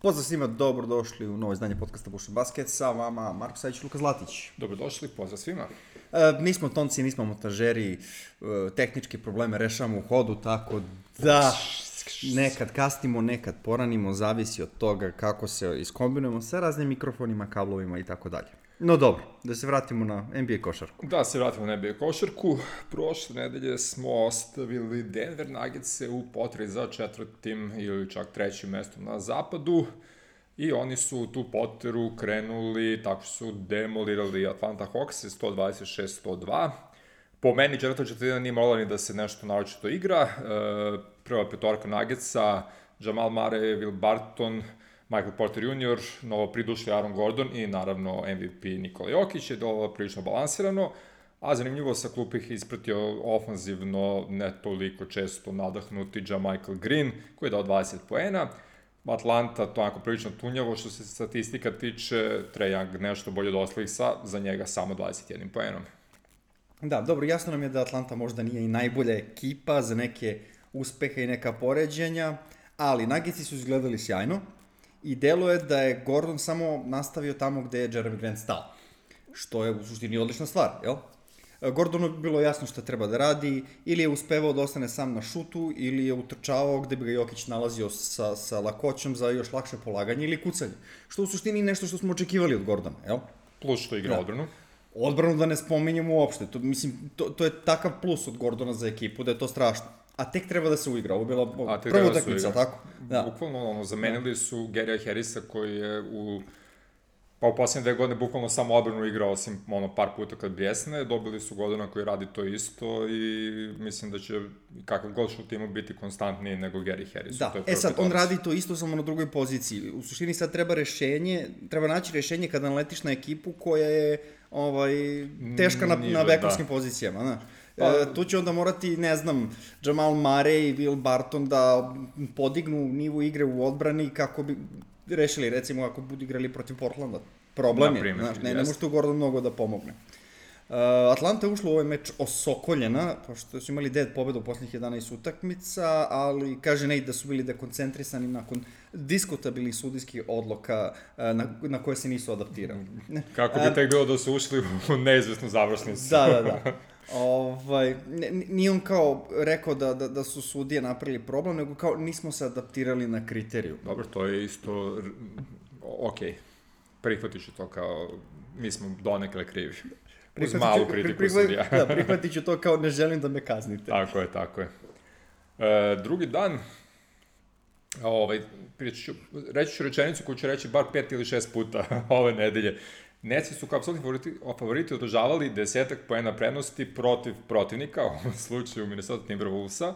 Pozdrav svima, dobrodošli u novo izdanje podcasta Bušan Basket, sa vama Marko Savić i Luka Zlatić. Dobrodošli, pozdrav svima. Nismo tonci, nismo montažeri, tehničke probleme rešavamo u hodu, tako da nekad kasnimo, nekad poranimo, zavisi od toga kako se iskombinujemo sa raznim mikrofonima, kablovima i tako dalje. No dobro, da se vratimo na NBA košarku. Da se vratimo na NBA košarku. Prošle nedelje smo ostavili Denver Nuggetse u potrazi za četvrtim ili čak trećim mestom na zapadu i oni su tu poteru krenuli tako što su demolirali Atlanta Hawks 126-102. Po meni četvrta četvrtina nije morala ni da se nešto naročito igra. Prva petorka Nuggetsa, Jamal Murray, Will Barton, Michael Porter Jr., novo pridušli Aaron Gordon i naravno MVP Nikola Jokić je dolo prilično balansirano, a zanimljivo sa klupe ih ispratio ofanzivno, ne toliko često nadahnuti Michael Green, koji je dao 20 poena. Atlanta to onako prilično tunjavo, što se statistika tiče, Trae Young nešto bolje od ostalih za njega samo 21 poenom. Da, dobro, jasno nam je da Atlanta možda nije i najbolja ekipa za neke uspehe i neka poređenja, ali Nuggetsi su izgledali sjajno. I deluje da je Gordon samo nastavio tamo gde je Jeremy Grant stao. Što je u suštini odlična stvar, jel? Gordonu je bilo jasno šta treba da radi, ili je uspevao da ostane sam na šutu, ili je utrčavao gde bi ga Jokić nalazio sa lakoćom za još lakše polaganje ili kucanje. Što u suštini nešto što smo očekivali od Gordona, jel? Plus što igra odbranu. Odbranu da ne spominjemo uopšte. To je takav plus od Gordona za ekipu da je to strašno. A tek treba da se uigra, ovo je bila prva utakmica, tako? Da. Bukvalno, zamenili su Garya Harrisa koji je u posljednje 2 godine bukvalno samo odbranu igrao, osim par puta kad bljesne, dobili su Gordona koji radi to isto i mislim da će kakav god što timu biti konstantniji nego Gary Harris. Da, sad, on radi to isto samo na drugoj poziciji. U suštini sad treba naći rešenje kada naletiš na ekipu koja je teška na bekovskim pozicijama, znaš. Tu će onda morati, ne znam, Jamal Murray i Will Barton da podignu nivo igre u odbrani kako bi rešili, recimo, ako budu igrali protiv Portlanda. Problem je, znaš, ne može tu Gordon mnogo da pomogne. Atlanta je ušla u ovaj meč osokoljena, pošto su imali 9 pobjeda u posljednjih 11 utakmica, ali kaže Nate da su bili dekoncentrisani nakon diskutabilnih sudijskih odluka na koje se nisu adaptirali. Kako bi tek bilo da su ušli u neizvesnu završnicu. Da. Nije on kao rekao da su sudije napravili problem, nego kao nismo se adaptirali na kriteriju. Dobro, to je isto okej. Prihvatit ću to kao mi smo donekle krivi. Uz malu kritiku sudija. Da, prihvatit ću to kao ne želim da me kaznite. Tako je. Drugi dan, reći ću rečenicu koju ću reći bar 5 ili 6 puta ove nedelje. Netsi su kao apsolutni favoriti održavali 10 poena prednosti protiv protivnika, u ovom slučaju Minnesota Timberwolvesa.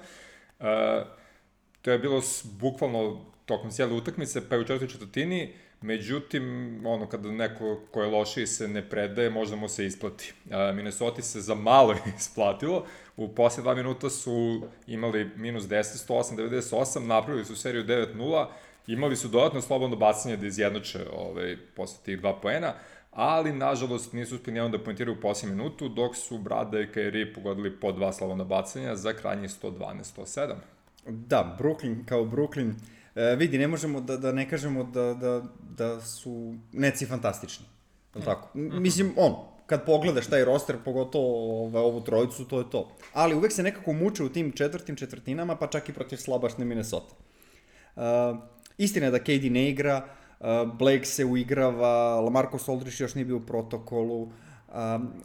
To je bilo bukvalno tokom cijele utakmice, pa i u četvrtoj četvrtini, međutim, kada neko ko je lošiji se ne predaje, možda mu se isplati. Minnesota se za malo isplatilo, u poslije 2 minuta su imali minus 10, 108-98, napravili su seriju 9-0, imali su dodatno slobodno bacanje da izjednače posle tih 2 poena, ali, nažalost, nisu uspjeli nijednom da poentiraju u posljednju minutu, dok su Brada i Kyrie pogodili po 2 slobodna bacanja za krajnjih 112-107. Da, Brooklyn kao Brooklyn. Vidi, ne možemo da ne kažemo da su Netsi fantastični. Tako? Mislim, kad pogledaš taj roster, pogotovo ovu trojicu, to je to. Ali uvek se nekako muče u tim četvrtinama, pa čak i protiv slabašne Minnesota. Istina je da KD ne igra, Blake se uigrava, LaMarcus Aldridge još nije bio u protokolu,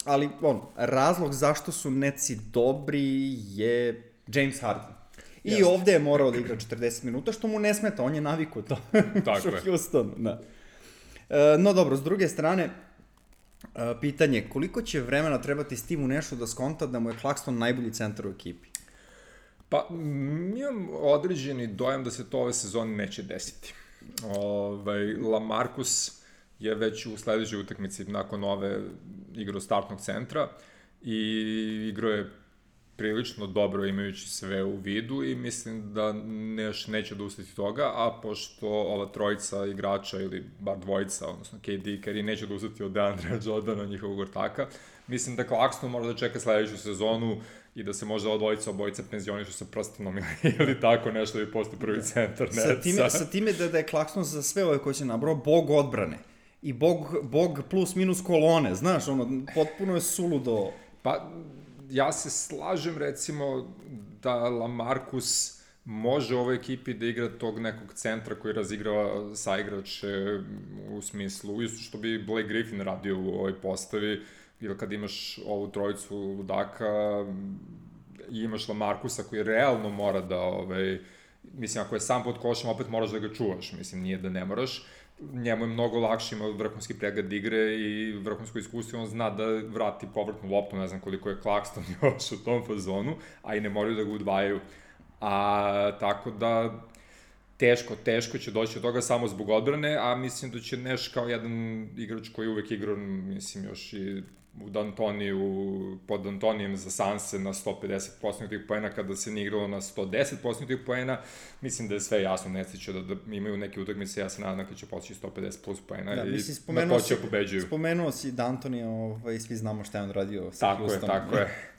ali razlog zašto su Netsi dobri je James Harden. I ovde je morao da igra 40 minuta, što mu ne smeta, on je navikao to. Tako je. Houston, da. No dobro, s druge strane, pitanje, koliko će vremena trebati Steve Nashu da skonta da mu je Claxton najbolji centar u ekipi? Pa, imam određeni dojam da se to ove sezone neće desiti. LaMarcus je već u sledećoj utakmici nakon ove igrao startnog centra i igrao je prilično dobro imajući sve u vidu i mislim da neće odustati toga, a pošto ova trojica igrača ili bar dvojica, odnosno KD i Kyrie neće odustati od DeAndrea Jordana, njihovog ortaka, mislim da Claxton mora da čeka sledeću sezonu i da se možda obojica penzionišu sa prstenom ili tako nešto i postoji prvi centar Netsa. Sa time da je Claxton za sve ove koje će nabrao bog odbrane i bog plus minus kolone, znaš, ono, potpuno je suludo. Pa, ja se slažem, recimo, da LaMarcus može u ovoj ekipi da igra tog nekog centra koji razigrava saigrače u smislu, isto što bi Blake Griffin radio u ovoj postavi, ili kad imaš ovu trojicu ludaka i imaš LaMarcusa koji realno mora da, mislim, ako je sam pod košem, opet moraš da ga čuvaš, mislim, nije da ne moraš. Njemu je mnogo lakše, ima vrhunski pregled igre i vrhunsko iskustvo, on zna da vrati povrtnu loptu, ne znam koliko je Claxton još u tom fazonu, a i ne moraju da ga udvajaju. Tako da, teško će doći od toga samo zbog odbrane, a mislim da će Nash kao jedan igrač koji uvek igrao, mislim, još i u D'Antoniju, pod D'Antonijem za Sanse na 150 posljednjih poena, kada se nije igralo na 110 posljednjih poena, mislim da je sve jasno, Netsi će da imaju neke utakmice, ja se nadam da će postići 150 plus poena i na to će pobeđuju. Spomenuo si D'Antonija, svi znamo šta je on radio sa Houston. Tako je.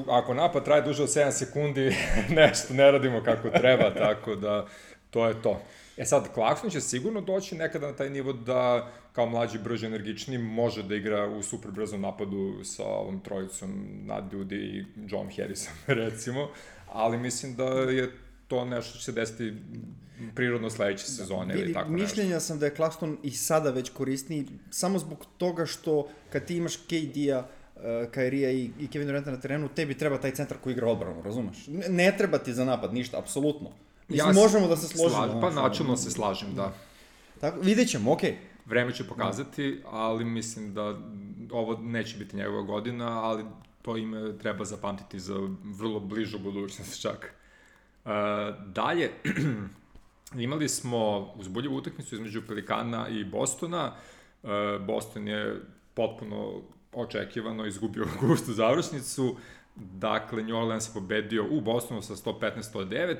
Ako napad traje duže od 7 sekundi, nešto ne radimo kako treba, tako da to je to. Sad, Claxton će sigurno doći nekada na taj nivo da, kao mlađi, brži, energični, može da igra u super brzom napadu sa ovom trojicom Nat Dudi i John Harrison, recimo, ali mislim da je to nešto što će se desiti prirodno sledeće sezone ili tako nešto. Mišljenja sam da je Claxton i sada već korisniji, samo zbog toga što kad ti imaš KD-a, Kairija i Kevin Duranta na terenu, tebi treba taj centar koji igra odbranu, razumeš? Ne treba ti za napad ništa, apsolutno. Mislim, možemo da se složimo. Pa načelno se slažem, da. Tako, vidjet ćemo, okej. Vreme će pokazati, ali mislim da ovo neće biti njegova godina, ali to ime treba zapamtiti za vrlo bližu budućnost čak. Dalje, imali smo uzbudljivu utakmicu između Pelikana i Bostona. Boston je potpuno očekivano izgubio gustu završnicu. Dakle, New Orleans je pobedio u Bostonu sa 115-109.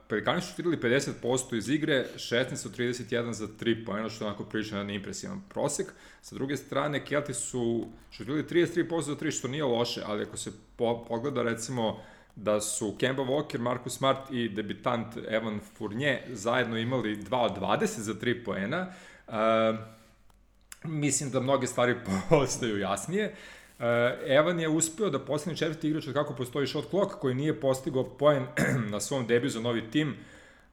Pelikani su šutirali 50% iz igre, 16-31 za 3 poena, što je onako prilično jedan impresivan prosek. Sa druge strane, Kelti su šutirali 33% za 3, što nije loše, ali ako se pogleda, recimo, da su Kemba Walker, Marcus Smart i debitant Evan Fournier zajedno imali 2 od 20 za 3 poena, mislim da mnoge stvari postaju jasnije. Evan je uspeo da postane četvrti igrač od kako postoji shot clock, koji nije postigao poen na svom debiju za novi tim,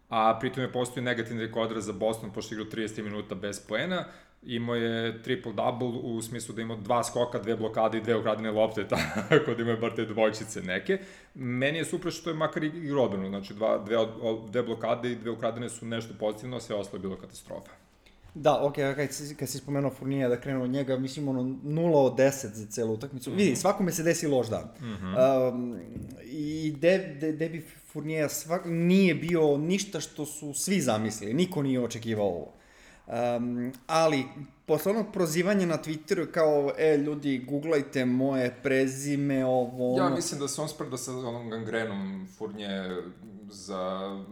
a pritom je postoji negativni rekord za Boston, pošto je igrao 30 minuta bez poena. Imao je triple-double u smislu da imao 2 skoka, 2 blokade i 2 ukradene lopte, tako da imaju bar te dvojčice neke. Meni je super što je makar igrao odbranu, znači 2 blokade i 2 ukradene su nešto pozitivno, a sve ostalo je bilo katastrofa. Da, okej, kad si spomenuo Fournija, da krenu od njega, mislim, 0 od 10 za celu utakmicu. Vidi, svakome se desi loš dan. I debi Fournija nije bio ništa što su svi zamislili, niko nije očekivao ovo. Ali, posle onog prozivanja na Twitteru kao, ljudi, googlajte moje prezime, ovo... Ja mislim da se on sprda sa onom gangrenom Fournije za...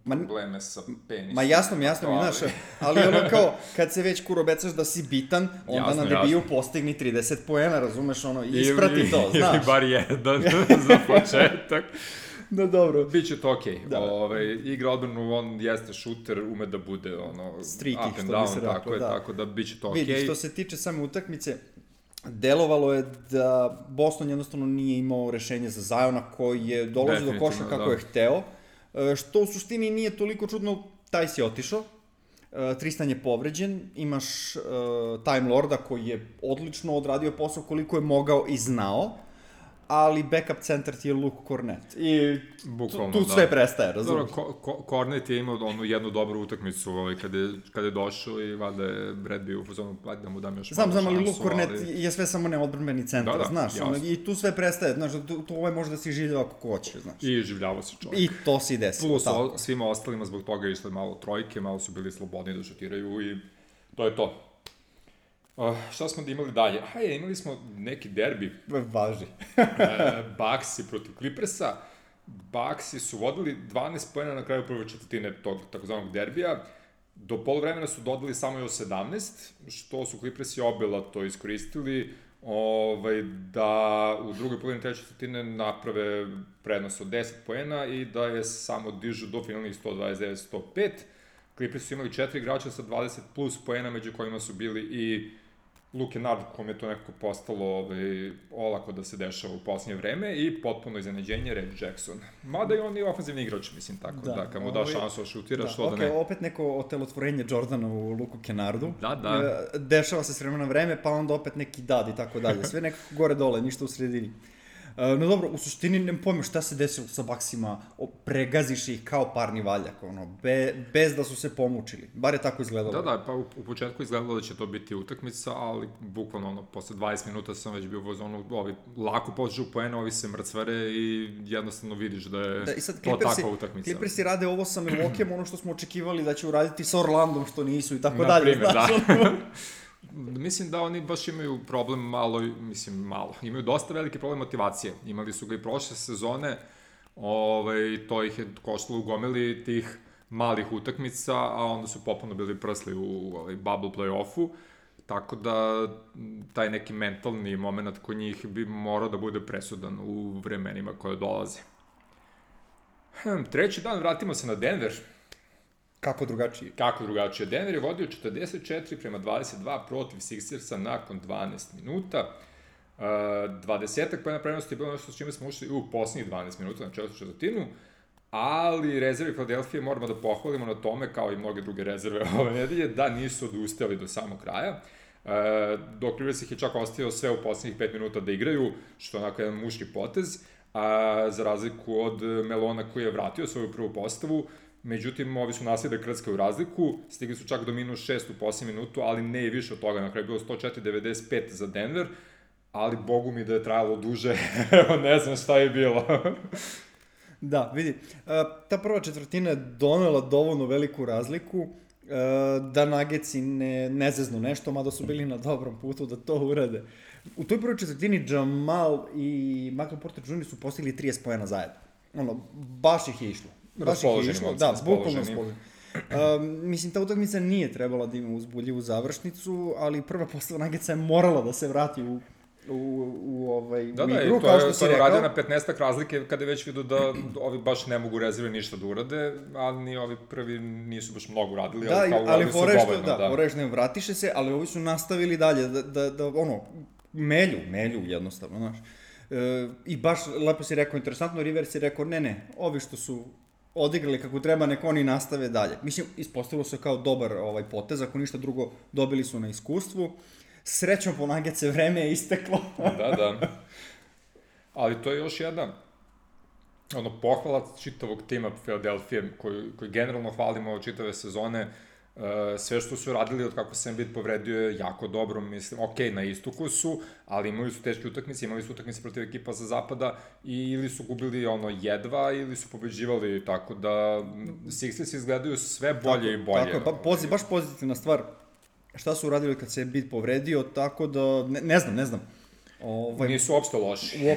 probleme sa penisom. Ma jasno mi, znaš, ali ono kao, kad se već kurobecaš da si bitan, onda na debiju postigni 30 poena, razumeš, isprati to, znaš. Ili bar jedan za početak. Da, dobro. Biće to okej. Igra odbranu, on jeste šuter, ume da bude streaky, up and down, tako da biće to okej. Vidi, što se tiče same utakmice, delovalo je da Boston jednostavno nije imao rešenje za Ziona koji je dolazio do koša kako je hteo. Što u suštini nije toliko čudno, taj si otišao, Tristan je povređen, imaš Time Lorda koji je odlično odradio posao koliko je mogao i znao, ali backup centar ti je Luke Kornet. I tu sve prestaje, razumiješ? Kornet je imao jednu dobru utakmicu kada je došao i valjda je Brad bio u fazonu da mu dam još malo šansu. Znam, ali Luke Kornet je sve samo neodbrambeni centar, znaš, i tu sve prestaje, znaš, tu može da si življava kako hoće, znaš. I življavao se čovjek. I to si desi. Plus svima ostalima zbog toga je išle malo trojke, malo su bili slobodni da šutiraju i to je to. Šta smo da imali dalje? Imali smo neki derbi. Važi. Bucksi protiv Clippersa. Bucksi su vodili 12 poena na kraju prve četvrtine tog takozvanog derbija. Do poluvremena su dodali samo još 17, što su Clippersi obilato iskoristili. da u drugoj polovini treće četvrtine naprave prednost od 10 poena i da je samo dižu do finalnih 129-105. Clippers su imali 4 igrača sa 20 plus poena, među kojima su bili i Luke Kennard, kom je to nekako postalo olako da se dešava u posljednje vreme, i potpuno iznenađenje Reggie Jackson. Mada i on je ofenzivni igrač, mislim, tako da kad mu da šansu da šutira, što da ne. Opet neko otelotvorenje Jordana u Luku Kennardu. Da. Dešava se s vremena na vreme, pa onda opet neki dad i tako dalje. Sve nekako gore-dole, ništa u sredini. No dobro, u suštini ne pojma šta se desilo sa Bucksima, pregaziš ih kao parni valjak, bez da su se pomučili. Bar je tako izgledalo. Da, pa u početku izgledalo da će to biti utakmica, ali bukvalno posle 20 minuta sam već bio u zonu, ovi lako pođu poena, ovi se mrcvare i jednostavno vidiš da je to takva utakmica. Clippersi rade ovo sa Milwaukeeom, ono što smo očekivali da će uraditi sa Orlandom, što nisu i tako dalje. Na primjer, da. Mislim da oni baš imaju problem malo, imaju dosta veliki problem motivacije. Imali su ga i prošle sezone, to ih je koštalo u gomili tih malih utakmica, a onda su popuno bili prsli u bubble play-offu, tako da taj neki mentalni moment kod njih bi morao da bude presudan u vremenima koje dolaze. Treći dan vratimo se na Denver. Kako drugačije? Denver je vodio 44-22 protiv Sixersa nakon 12 minuta. 20-ak pojena prednosti je bilo nešto s čime smo ušli u posljednjih 12 minuta na četvrtu četvrtinu, ali rezervi Philadelphia moramo da pohvalimo na tome, kao i mnoge druge rezerve ove nedelje, da nisu odustajali do samog kraja. Doc Rivers ih je čak ostavio sve u posljednjih 5 minuta da igraju, što je onako jedan muški potez, za razliku od Melona koji je vratio svoju prvu postavu. Međutim, ovi su nastavili da krckaju razliku, stigli su čak do -6 u posljednjem minutu, ali ne i više od toga. Na kraju je bilo 104-95 za Denver, ali bogu mi da je trajalo duže, ne znam šta je bilo. Da, vidi, ta prva četvrtina je donela dovoljno veliku razliku da Nuggetsi ne zeznu nešto, mada su bili na dobrom putu da to urade. U toj prvoj četvrtini Jamal i Michael Porter Jr. su postigli 30 poena zajedno. Baš ih je išlo. Da, bukvalno raspoloženi. Mislim, ta utakmica nije trebala da ima uzbudljivu završnicu, ali prva postava Nuggetsa je morala da se vrati u igru, kao što si rekao. Da, to je na 15-ak razlike kada je već vidio da ovi baš ne mogu rezerve ništa da urade, ali ni ovi prvi nisu baš mnogo uradili, ali kao uradili su dovoljno. Da, porešno je, vratiše se, ali ovi su nastavili dalje, da melju jednostavno, znaš. I baš, lepo si rekao, interesantno, Rivers je rekao, ne, ovi što su odigrali kako treba, neko oni nastave dalje. Mislim, ispostavilo se kao dobar potez, ako ništa drugo, dobili su na iskustvu. Srećom po Nuggetse, vreme je isteklo. Da. Ali to je još jedna pohvala čitavog tima Philadelphia, koji generalno hvalimo čitave sezone. Sve što su radili od kako se Embiid povredio je jako dobro, mislim, na istoku su, ali imali su teške utakmice, imali su utakmice protiv ekipa sa zapada i ili su gubili jedva ili su pobeđivali, tako da Sixers izgledaju sve bolje i bolje. Tako, baš pozitivna stvar šta su uradili kad se Embiid povredio, tako da, ne znam. Nisu uopšte loši.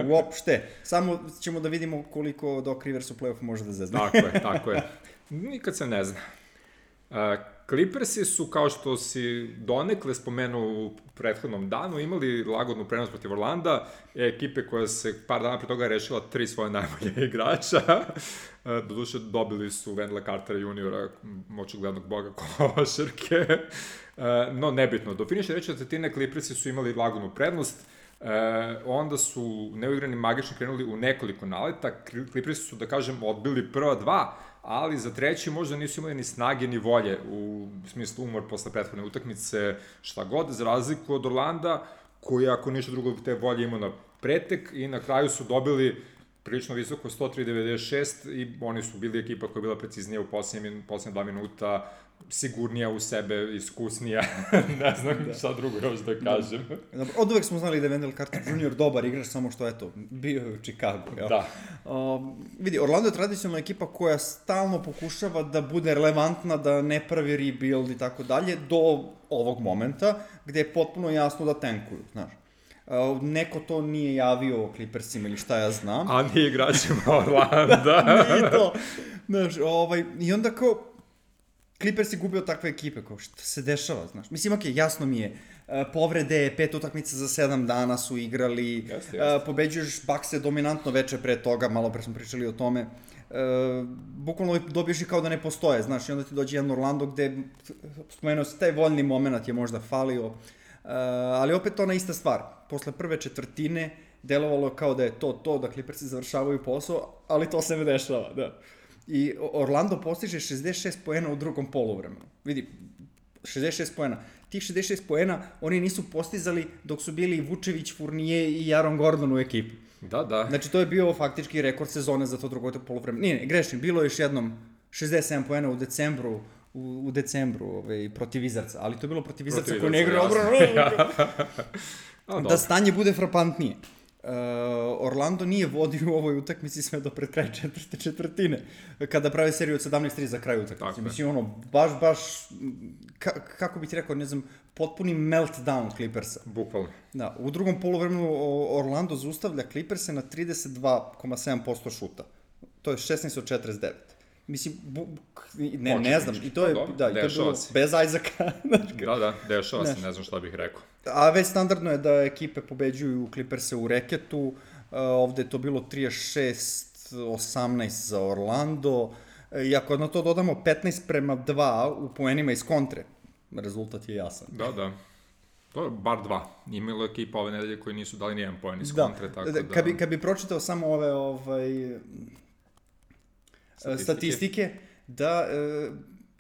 Uopšte. Samo ćemo da vidimo koliko Doc Rivers u play-offu može da zezne. Tako je. Nikad se ne zna. Clippersi su, kao što si donekle spomenuo u prethodnom danu, imali lagodnu prenos protiv Orlanda, ekipe koja se par dana pre toga rešila 3 svoje najbolje igrača. Doduše, dobili su Wendella Cartera juniora, očiglednog boga košarke. No, nebitno. Do finiša treće četvrtine Clippersi su imali lagodnu prednost, onda su neuigrani magični krenuli u nekoliko naleta. Clippersi su, da kažem, odbili prva 2, ali za treći možda nisu imali ni snage ni volje, u smislu umor posle prethodne utakmice, šta god, za razliku od Orlanda, koji ako ništa drugo te volje imao na pretek, i na kraju su dobili prilično visoko 103-96 i oni su bili ekipa koja je bila preciznija u posljednje 2 minuta, sigurnija u sebe, iskusnija, ne znam šta drugo još da kažem. Od uvek smo znali da je Wendell Carter Jr. dobar igrač, samo što bio je u Chicagu. Da. Vidi, Orlando je tradicionalna ekipa koja stalno pokušava da bude relevantna, da ne pravi rebuild i tako dalje, do ovog momenta, gde je potpuno jasno da tankuju, znaš. Neko to nije javio Clippersima ili šta ja znam. A nije igračima Orlanda. Nije to. Znaš, i onda kao, Clippers je gubio takve ekipe, kao što se dešava, znaš. Mislim, okej, jasno mi je, povrede, 5 utakmica za 7 dana su igrali, pobeđuješ Buckse dominantno veče pre toga, malo pre smo pričali o tome, bukvalno dobiješ i kao da ne postoje, znaš, i onda ti dođe jedan Orlando gde, spomenuo se, taj voljni moment je možda falio, ali opet ona ista stvar, posle prve četvrtine delovalo kao da je to, da Clippersi završavaju posao, ali to se ne dešava, da. I Orlando postiže 66 poena u drugom poluvremenu. Vidi, 66 poena. Tih 66 poena oni nisu postizali dok su bili Vučević, Fournier i Aaron Gordon u ekipi. Da. Znači, to je bio faktički rekord sezone za to drugo poluvreme. Nije, grešim, bilo je još jednom 67 poena u decembru protiv Wizardsa, ali to je bilo protiv Wizardsa koji ne igra obranu. Da stanje bude frapantnije. Orlando nije vodio u ovoj utakmici sve do pred kraj četvrtine, kada prave seriju od 17-3 za kraj utakmice. Mislim, baš, kako bih ti rekao, ne znam, potpuni meltdown Clippersa. Bukvalno. Da, u drugom poluvremenu Orlando zaustavlja Clipperse na 32,7% šuta. To je 16 od 49. Mislim, ne znam, i to je bilo bez Isaaca. Da, dešava se, ne znam šta bih rekao. A već standardno je da ekipe pobeđuju Clipperse u reketu, ovde je to bilo 36-18 za Orlando, i ako na to dodamo 15:2 u poenima iz kontre, rezultat je jasan. Da. To je bar 2. Imalo je ekipa ove nedelje koji nisu dali nijedan poen iz kontre, tako da... Kad bi pročitao samo ove statistike,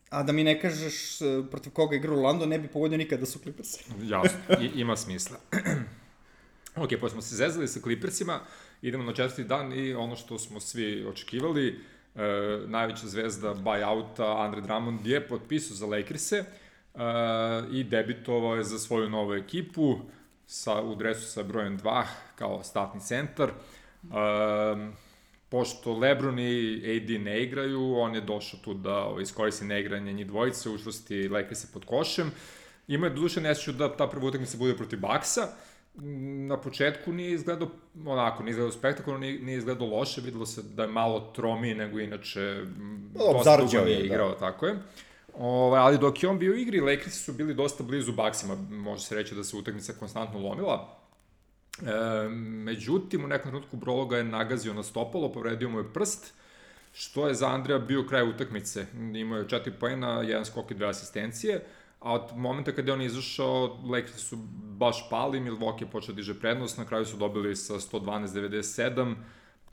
a da mi ne kažeš protiv koga igra Orlando, ne bi pogodio nikada da su Clippersi. Jasno, ima smisla. Ok, pa smo se zezali sa Clippersima, idemo na 4. dan i ono što smo svi očekivali, najveća zvezda buyouta Andre Drummond je potpisao za Lakers-e i debitovao je za svoju novu ekipu u dresu sa brojem 2 kao statni centar. Pošto LeBron i AD ne igraju, on je došao tu da iskoristi neigranje njih dvojice, učvrsti Lakers-e pod košem. Ima je doduše nesreću da ta prva utakmica bude protiv Bucksa. Na početku nije izgledao spektakularno, nije izgledao loše, videlo se da je malo tromiji nego inače, dosta dugo nije igrao, tako je. Ali dok je on bio u igri, Lakersi su bili dosta blizu Bucksima, može se reći da se utakmica konstantno lomila. Međutim, u nekom trenutku Brolo ga je nagazio na stopalo, povredio mu je prst, što je za Andreja bio kraj utakmice. Imao je 4 poena, 1 skok i 2 asistencije, a od momenta kada je on izašao, Lakersi su baš pali, Milwaukee je počeo diže prednost, na kraju su dobili sa 112-97,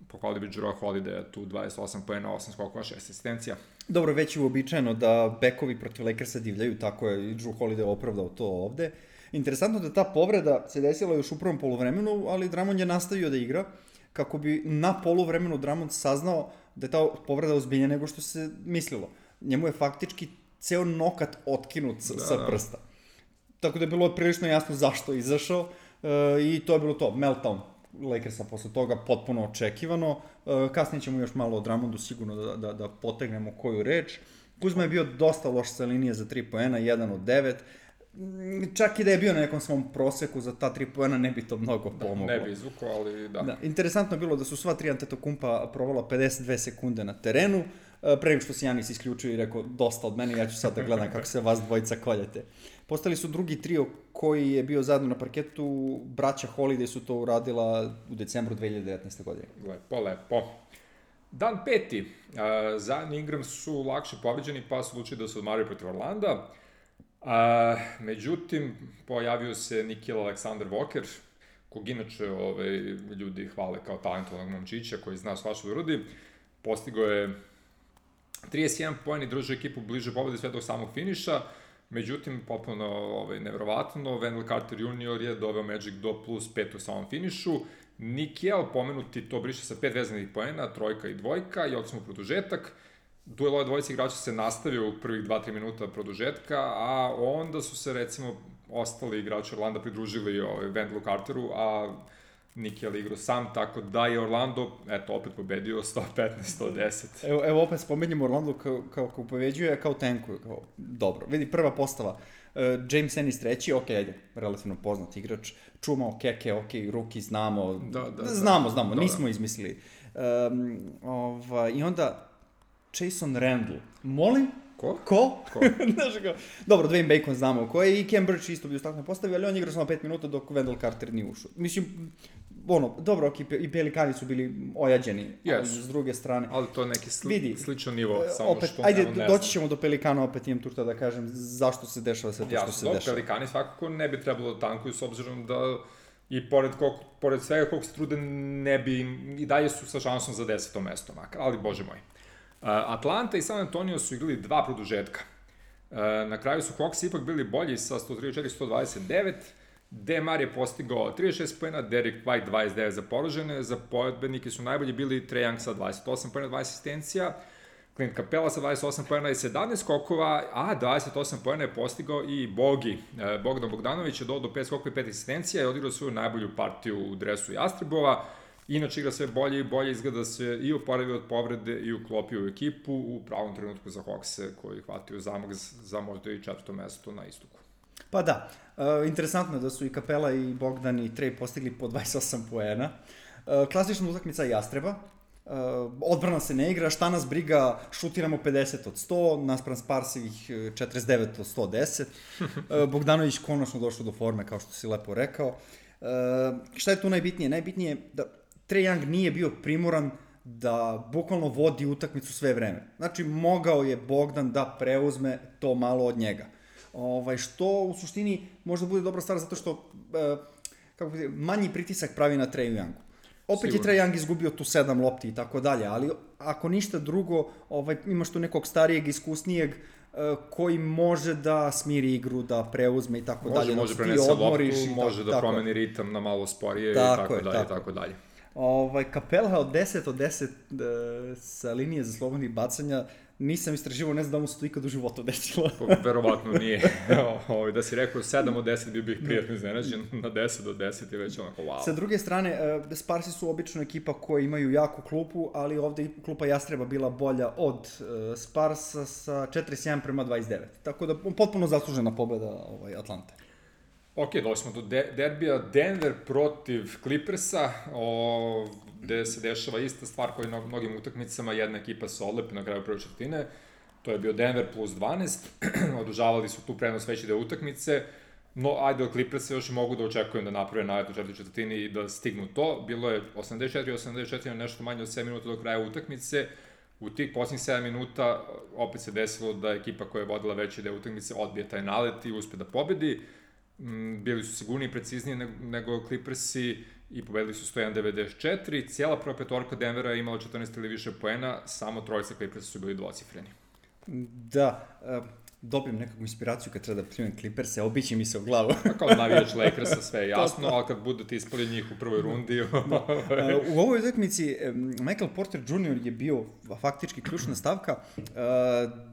pohvalili bi Jrue Holiday, tu 28 poena, 8 skokova, 6 asistencija. Dobro, već je uobičajeno da bekovi protiv Lakersa divljaju, tako je i Jrue Holiday opravdao to ovde. Interesantno da ta povreda se desila još u prvom poluvremenu, ali Drummond je nastavio da igra, kako bi na poluvremenu Drummond saznao da je ta povreda ozbiljnija nego što se mislilo. Njemu je faktički ceo nokat otkinut sa prsta. Tako da je bilo prilično jasno zašto je izašao i to je bilo to, meltdown Lakersa posle toga, potpuno očekivano. Kasnije ćemo još malo o Drummondu sigurno da potegnemo koju reč. Kuzma je bio dosta loš sa linije za 3 poena, 1 od 9. Čak i da je bio na nekom svom proseku za ta 3 poena, ne bi to mnogo pomoglo. Ne bi izvukao, ali da. Interesantno je bilo da su sva 3 Antetokounmpa provala 52 sekunde na terenu, pre nego što se Janis isključio i rekao dosta od mene, ja ću sad da gledam kako se vas dvojica koljete. Postali su drugi trio koji je bio zajedno na parketu, braća Holiday su to uradila u decembru 2019. godine. Lepo. Dan 5. Zion i Ingram su lakše pobeđeni, pa su odlučili da se odmaraju protiv Orlanda. Međutim, pojavio se Nickeil Alexander-Walker, kog inače ljudi hvale kao talentovanog momčića koji zna svašta da uradi. Postigao je 31 poen i držao ekipu bliže pobede sve do samog finiša. Međutim, potpuno nevjerovatno, Wendell Carter Jr. je doveo Magic do +5 u samom finišu. Nickeil, pomenuti, to briše sa 5 vezanih poena, 3 i 2 i odsimo produžetak. Duel ove dvojice igrača se nastavio u prvih 2-3 minuta produžetka, a onda su se, recimo, ostali igrači Orlanda pridružili Wendelu Carteru, a Nickeil igrao sam, tako da je Orlando, opet pobedio 115-110. Evo opet spomenjamo Orlando kao pobeđuje, kao tankuje, kao dobro. Vidi, prva postava, James Ennis treći, ajde, relativno poznat igrač, čumao Keke, Ruki, znamo, znamo, nismo izmislili. I onda Jason Randle. Molim? Ko? Znaš kao, dobro, Dwayne Bacon znamo ko je i Cam Birch isto bio stakne postavi, ali on igra samo 5 minuta dok Wendell Carter nije ušao. Mislim, dobro, i Pelikani su bili ojađeni, ali s druge strane. Ali to je neki sličan nivo, samo opet, što ajde, doći ćemo do Pelikana, opet imam turta da kažem zašto se dešava sve to što se dešava. Pelikani svakako ne bi trebalo da tankuju s obzirom da i pored svega koliko se trude ne bi i dalje su sa šansom za 10. mesto makar, ali bože moj. Atlanta i San Antonio su igrali 2 produžetka. Na kraju su Hawks ipak bili bolji sa 134-129. DeMar je postigao 36 poena, Derek White 29 za poražene, za pojedbenike su najbolji bili Trae Young sa 28 poena, 20 asistencija, Clint Capela sa 28 poena i 17 skokova, a 28 poena je postigao i Bogi. Bogdan Bogdanović je dodao 5 skokova i 5 asistencija i odigrao svoju najbolju partiju u dresu Jastrebova. Inače igra sve bolje i bolje, izgleda se i oporavio od povrede i uklopio u ekipu u pravom trenutku za Hawkse koji hvatio zamak za možda i 4. mesto na istoku. Pa da, interesantno je da su i Capela i Bogdan i Trae postigli po 28 poena. Klasična utakmica Jastreba. Odbrana se ne igra, šta nas briga, šutiramo 50 od 100, naspram Sparsivih 49 od 110. Bogdanović konačno došao do forme, kao što si lepo rekao. Šta je tu najbitnije? Najbitnije je da Trae Young nije bio primoran da bukvalno vodi utakmicu sve vreme. Znači, mogao je Bogdan da preuzme to malo od njega. Što u suštini možda bude dobra stvar zato što manji pritisak pravi na Trae Youngu. Opet je Trae Young izgubio tu 7 lopti i tako dalje, ali ako ništa drugo, imaš tu nekog starijeg, iskusnijeg koji može da smiri igru, da preuzme i tako dalje. Može prenese loptu, može da promeni ritam na malo sporije i tako dalje. Capela od 10 sa linije za slobodnih bacanja, nisam istraživao, ne znam da mu se to ikad u životu desilo. Verovatno nije. Da si rekao 7 od 10 bi bih prijatno iznenađen, na 10 od 10 je već onako wow. Sa druge strane, Sparsi su obično ekipa koji imaju jaku klupu, ali ovde klupa Jastreba bila bolja od Sparsa sa 41-29. Tako da potpuno zaslužena pobeda Atlante. Ok, došli smo do derbija Denver protiv Clippersa, gde se dešava ista stvar koja je na mnogim utakmicama, jedna ekipa se odlepi na kraju prve četvrtine, to je bio Denver plus 12, održavali su tu prenos veći deo utakmice, no ajde od Clippersa još mogu da očekujem da naprave nalet u četvrtoj četvrtini i da stignu to, bilo je 84-84, nešto manje od 7 minuta do kraja utakmice, u tih posljednjih 7 minuta opet se desilo da ekipa koja je vodila veći deo utakmice odbije taj nalet i uspe da pobedi. Bili su sigurniji i precizniji nego Clippersi i pobedili su 101-94. Cijela prva petorka Denvera je imala 14 ili više poena, samo trojica Clippersa su bili dvocifreni. Da, dobijem nekakvu inspiraciju kad treba da primim Clippers, obići mi se u glavu. Kao navijač Lakersa, sve je jasno, ali kad budete ispali njih u prvoj rundi... U ovoj utakmici Michael Porter Jr. je bio faktički ključna stavka.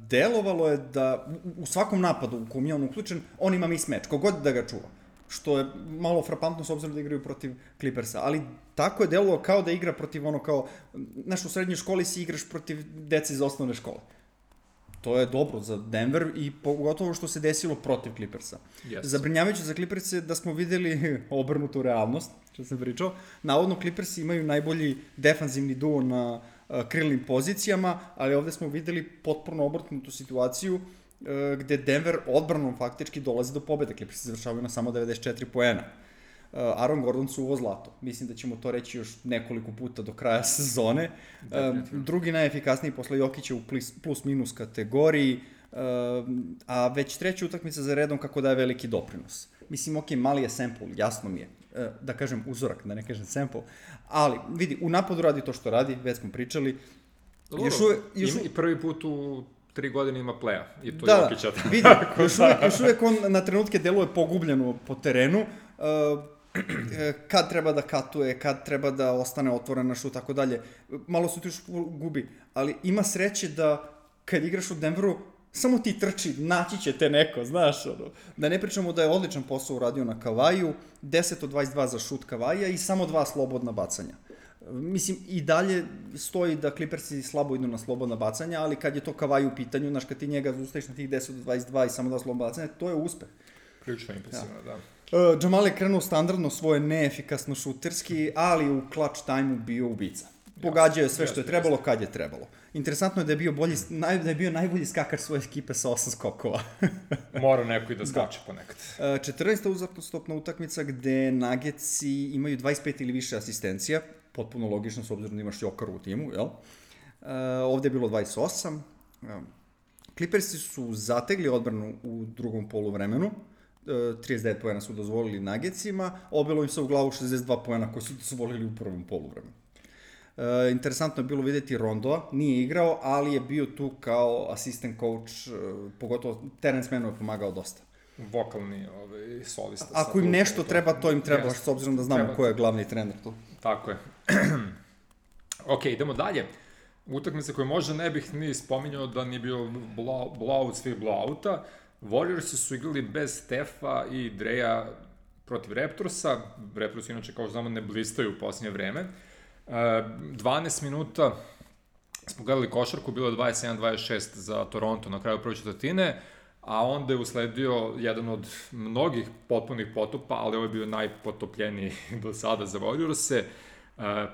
Delovalo je da u svakom napadu u kom je on uključen, on ima mismatch, kogod da ga čuva. Što je malo frapantno s obzirom da igraju protiv Clippersa, ali tako je delovalo kao da igra protiv znaš, u srednjoj školi si igraš protiv dece iz osnovne škole. To je dobro za Denver i pogotovo što se desilo protiv Clippersa. Yes. Zabrinjavajuće za Clippers je da smo videli obrnutu realnost, što sam pričao. Navodno Clippersi imaju najbolji defanzivni duo na krilnim pozicijama, ali ovde smo videli potpuno obrnutu situaciju gde Denver odbranom faktički dolazi do pobjede. Clippersi završavaju na samo 94 poena. Aaron Gordon suvo zlato. Mislim da ćemo to reći još nekoliko puta do kraja sezone. Drugi najefikasniji posle Jokića u plus-minus kategoriji, a već treća utakmica za redom kako daje veliki doprinos. Mislim, ok, mali je sample, jasno mi je. Da kažem uzorak, da ne kažem sample. Ali, vidi, u napadu radi to što radi, već smo pričali. I prvi put u 3 godine ima playa, i to Jokića. Da, vidi, još uvijek on na trenutke deluje pogubljeno po terenu, kad treba da katuje, kad treba da ostane otvoren na šut, tako dalje. Malo se tu još gubi, ali ima sreće da kad igraš u Denveru, samo ti trči, naći će te neko, znaš, da ne pričamo da je odličan posao uradio na Kavaiju, 10 od 22 za šut Kavaija i samo 2 slobodna bacanja. Mislim, i dalje stoji da Clippersi slabo idu na slobodna bacanja, ali kad je to Kavaju u pitanju, znaš, kad ti njega ustaviš na tih 10 od 22 i samo 2 slobodna bacanja, to je uspeh. Prilično impresivno, da. Jamal je krenuo standardno svoje neefikasno šuterski, ali u clutch time-u bio ubica. Pogađao je sve što je trebalo kad je trebalo. Interesantno je da je bio najbolji skakar svoje ekipe sa 8 skokova. Mora neko i da skače ponekad. 14. uzastopna utakmica gde Nuggetsi imaju 25 ili više asistencija, potpuno logično s obzirom da imaš Jokaru u timu, jel? Ovde je bilo 28. Clippersi su zategli odbranu u drugom poluvremenu, 39 poena su dozvolili Nuggetsima, obilo im se u glavu 62 poena koji su dozvolili u prvom poluvremenu. Interesantno je bilo videti Rondoa, nije igrao, ali je bio tu kao assistant coach, pogotovo Terence Mannu je pomagao dosta. Vokalni solista. Ako im nešto treba, to im treba, s obzirom da znamo ko je glavni trener tu. Tako je. Ok, idemo dalje. Utakmica koju možda ne bih ni spominjao da nije bio blowout svih blowouta. Warriorsi su igrali bez Stefa i Dreja protiv Raptorsa. Raptorsi inače, kao znamo, ne blistaju u posljednje vreme. 12 minuta smo gledali košarku, bilo je 27-26 za Toronto na kraju prve četvrtine, a onda je usledio jedan od mnogih potpunih potopa, ali ovo je bio najpotopljeniji do sada za Warriorse.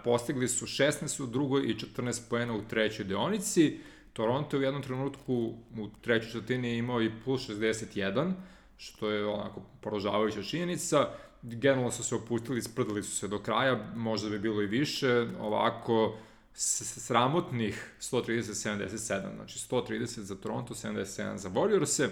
Postigli su 16 u drugoj i 14 poena u trećoj deonici. Toronto je u jednom trenutku u trećoj četvrtini imao i plus 61, što je onako poražavajuća činjenica. Generalno su se opustili, sprdali su se do kraja, možda bi bilo i više, ovako sramotnih 130-77, znači 130 za Toronto, 77 za Warriorse.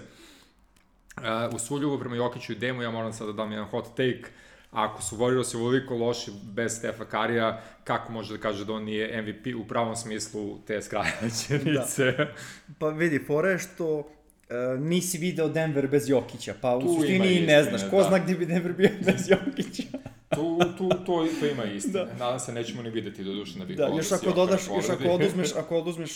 U svu ljubav prema Jokiću i Demu, ja moram sad da dam jedan hot take, ako su Warriorsi ovoliko loši bez Stefa Karija, kako može da kaže da on nije MVP u pravom smislu te skraćenice? Da. Pa vidi, fora je što nisi video Denver bez Jokića, pa u suštini i ne znaš, ko zna gdje bi Denver bio bez Jokića. To ima istine. Nadam se nećemo ni videti do duše na Big Ball. Još ako oduzmeš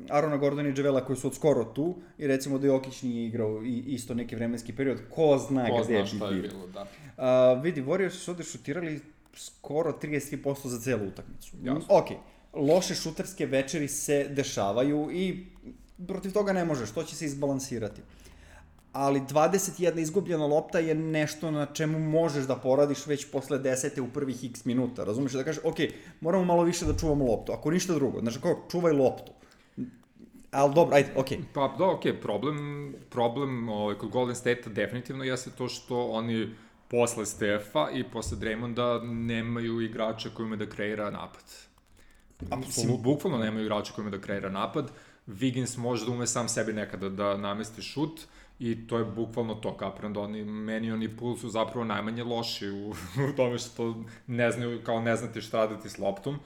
Arona Gordona i Javela koji su od skoro tu i recimo da Jokić nije igrao isto neki vremenski period, ko zna gde je bilo, da. Vidi, Warriors su ovde šutirali skoro 33% za celu utakmicu. Jasno. Ok, loše šuterske večeri se dešavaju i protiv toga ne možeš, to će se izbalansirati. Ali 21 izgubljena lopta je nešto na čemu možeš da poradiš već posle 10. u prvih x minuta, razumiješ? Da kažeš, ok, moramo malo više da čuvamo loptu, ako ništa drugo, znači kao, čuvaj loptu. Ali dobro, ajde, ok. Pa da, ok, problem kod Golden State-a definitivno jeste to što oni posle Stefa i posle Draymonda nemaju igrača koji ume da kreira napad. Mislim, bukvalno nemaju igrača koji ume da kreira napad. Wiggins može da ume sam sebi nekada da namesti šut i to je bukvalno to, kapiram da oni Poole su zapravo najmanje loši u tome što ne znaju, kao ne znate šta raditi s loptom,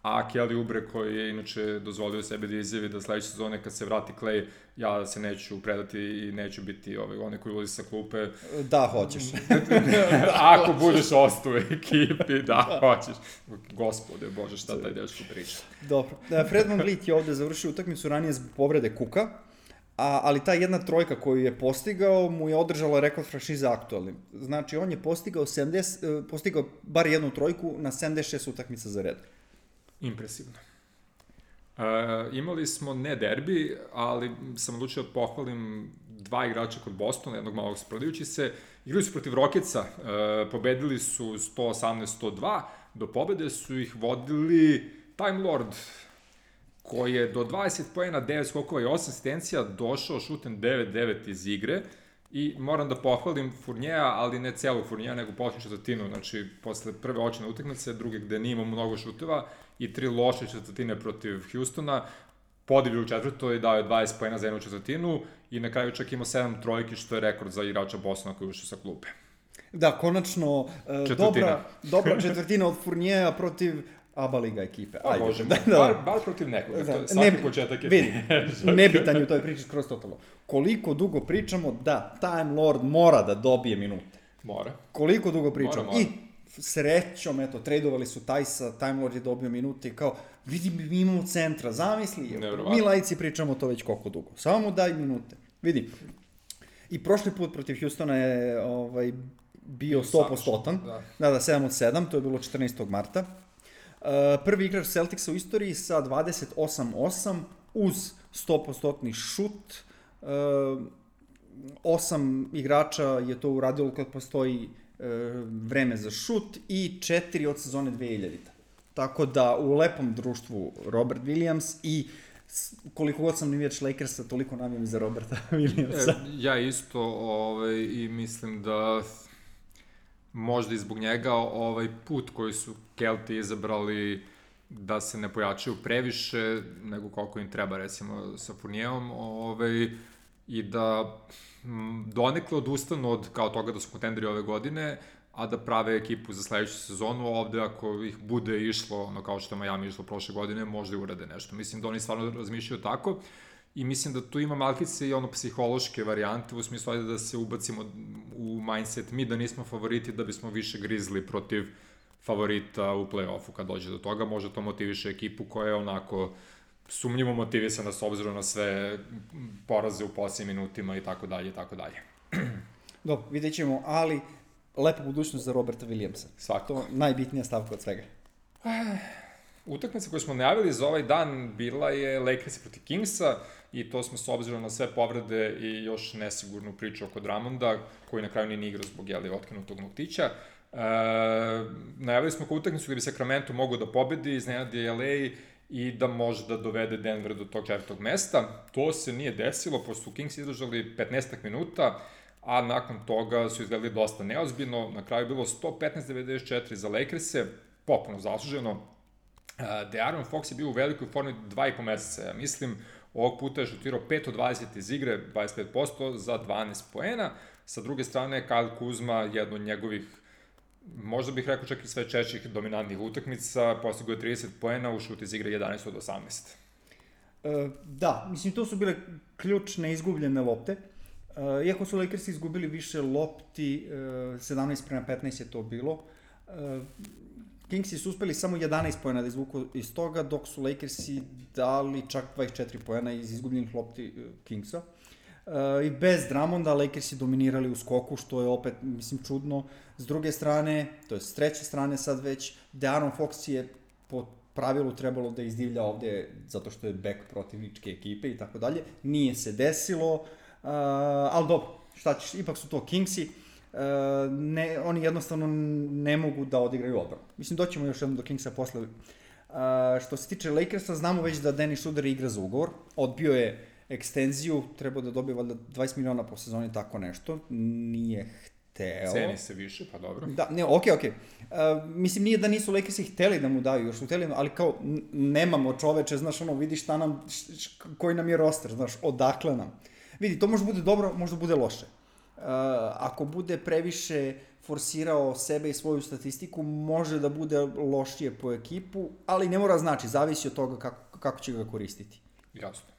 a Kelly Oubre koji je inače dozvolio sebi da izjavi da sledeće sezone kad se vrati Klay, ja se neću predati i neću biti onaj koji ulazi sa klupe. Da, hoćeš. Ako budeš ostao u ekipi, da, hoćeš. Gospode, Bože, šta taj dečko priča. Dobro. Fred VanVleet je ovde završio utakmicu ranije zbog povrede kuka, ali ta jedna trojka koju je postigao mu je održala rekord franšize aktualnim. Znači, on je postigao bar jednu trojku na 76 utakmica za red. Impresivno. Imali smo ne derbi, ali sam odlučio da pohvalim dva igrača kod Bostona, jednog malog sprdajući se. Igrali su protiv Rocketsa, pobedili su 118-102, do pobede su ih vodili Time Lord, koji je do 20 poena, 9 skokova i 8 asistencija došao šutem 9-9 iz igre. I moram da pohvalim Fournijera, ali ne celog Fournijera, nego počnu četvrtinu, znači posle prve očine utakmice, druge gde nije imao mnogo šuteva i 3 loše četvrtine protiv Houstona, podivio u četvrtoj i dao je 20 poena za jednu četvrtinu i na kraju čak imao 7 trojki, što je rekord za igrača Bostona koji ušao sa klupe. Da, konačno dobra četvrtina od Fournijera protiv ABA liga ekipe. Ajde, Bože, bar protiv nekoga. Svaki početak je vidi, nebitan je u toj priči skroz totalno. Koliko dugo pričamo da Time Lord mora da dobije minute. Mora. Koliko dugo pričamo. I srećom, eto, tradovali su Tajsa, Time Lord je dobio minute i kao, vidi, mi imamo centra, zamisli. Mi lajci pričamo to već koliko dugo. Samo mu daj minute. Vidi. I prošli put protiv Houstona je bio 100%. Da, 7 od 7, to je bilo 14. marta. Prvi igrač Celticsa u istoriji sa 28-8 uz 100% šut. 8 igrača je to uradilo kad postoji vreme za šut i 4 od sezone 2000. Tako da u lepom društvu Robert Williams i koliko god sam navijač Lakersa, toliko navijam za Roberta Williamsa. Ja isto i mislim da možda i zbog njega put koji su Kelti izabrali da se ne pojačaju previše nego koliko im treba, recimo sa Fournierom, i da donekle odustanu od kao toga da su kontenderi ove godine, a da prave ekipu za sledeću sezonu. Ovde ako ih bude išlo, kao što je Miami išlo prošle godine, možda i urade nešto. Mislim da oni stvarno razmišljaju tako i mislim da tu ima malkice i psihološke varijante, u smislu da se ubacimo u mindset mi da nismo favoriti, da bismo više grizli protiv favorita u play-offu kad dođe do toga. Možda to motiviše ekipu koja je onako sumnjivo motivisana s obzirom na sve poraze u posljednjim minutima i tako dalje i tako dalje. Dobro, vidjet ćemo, ali lepa budućnost za Roberta Williamsa. Svakako. To najbitnija stavka od svega. Utakmica koju smo najavili za ovaj dan bila je Lakers protiv Kingsa i to smo s obzirom na sve povrede i još nesigurnu priču oko Drummonda, koji na kraju nije ni igrao zbog otkinutog noktića. Najavili smo kao utakmicu gde bi Sacramento mogao da pobedi, iznenadi LA i da može da dovede Denver do tog 4. mesta. To se nije desilo, pošto su Kings izdržali 15 minuta, a nakon toga su izgledali dosta neozbiljno. Na kraju je bilo 115-94 za Lakers-e, popuno zasluženo. De'Aaron Fox je bio u velikoj formi 2,5 meseca, ja mislim. Ovog puta je šutirao 5 od 20 iz igre, 25% za 12 poena. Sa druge strane, Kyle Kuzma, jedno od njegovih, možda bih rekao čak i sve češćih dominantnih utakmica, postigao je 30 poena, u šut iz igre 11 od 18. Da, mislim, to su bile ključne izgubljene lopte. Iako su Lakers izgubili više lopti, 17-15 je to bilo, Kingsi su uspeli samo 11 poena da izvuku iz toga, dok su Lakersi dali čak 24 poena iz izgubljenih lopti Kingsa. I bez Drummonda Lakersi dominirali u skoku, što je opet, mislim, čudno. S druge strane, to je s treće strane sad već, De'Aaron Fox je po pravilu trebalo da izdivlja ovde zato što je back protivničke ekipe i tako dalje. Nije se desilo, ali dobro, šta ćeš, ipak su to Kingsi. Oni jednostavno ne mogu da odigraju odbranu. Mislim, doćemo još jednom do Kingsa posle. Što se tiče Lakersa, znamo već da Dennis Schroeder igra za ugovor. Odbio je ekstenziju, trebao da dobije valjda 20 miliona po sezoni, tako nešto. Nije hteo. Ceni se više, pa dobro. Da, ne, okej. Mislim, nije da nisu Lakersi hteli da mu daju, još su hteli, ali kao, nemamo čoveče, znaš, vidi šta nam, koji nam je roster, znaš, odakle nam. Vidi, to može bude dobro, možda bude loše. Ako bude previše forsirao sebe i svoju statistiku, može da bude lošije po ekipu, ali ne mora znači, zavisi od toga kako će ga koristiti. Jasno.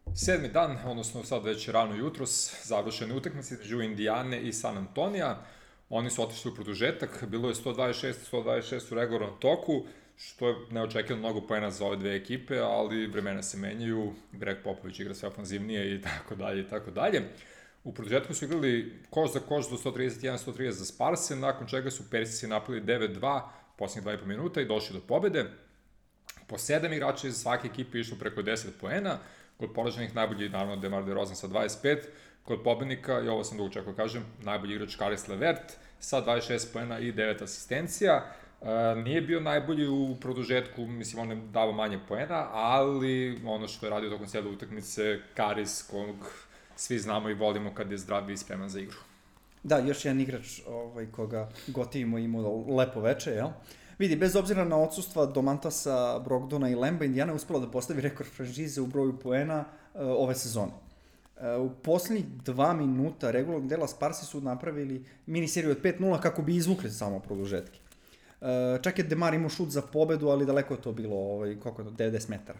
7. dan, odnosno sad već rano jutros, završene utakmice između Indijane i San Antonija. Oni su otišli u produžetak, bilo je 126 u regularnom toku, što je neočekivano mnogo poena za ove dve ekipe, ali vremena se menjaju, Greg Popovich igra sve ofanzivnije i tako dalje i tako dalje. U produžetku su igrali koš za koš do 131-130 za Sparse, nakon čega su Persisi napali 9-2 posljednjih 2,5 minuta i došli do pobede. Po 7 igrača iz svake ekipe išlo preko 10 poena, kod poraženih najbolji naravno DeMar DeRozan sa 25, kod pobednika, i ovo sam dugo čekao kažem, najbolji igrač Caris LeVert sa 26 poena i 9 asistencija. Nije bio najbolji u produžetku, mislim, on je dao manje poena, ali ono što je radio tokom cijele utakmice, Caris, kog svi znamo i volimo kad je zdrav i spreman za igru. Da, još jedan igrač koga gotivimo imao lepo veče, jel? Vidi, bez obzira na odsustva Domantasa, Brogdona i Lemba, Indijana je uspela da postavi rekord franšize u broju poena ove sezone. U poslednjih 2 minuta regularnog dela Sparsi su napravili miniseriju od 5-0 kako bi izvukli samo produžetke. Čak je DeMar imao šut za pobedu, ali daleko je to bilo, 90 metara.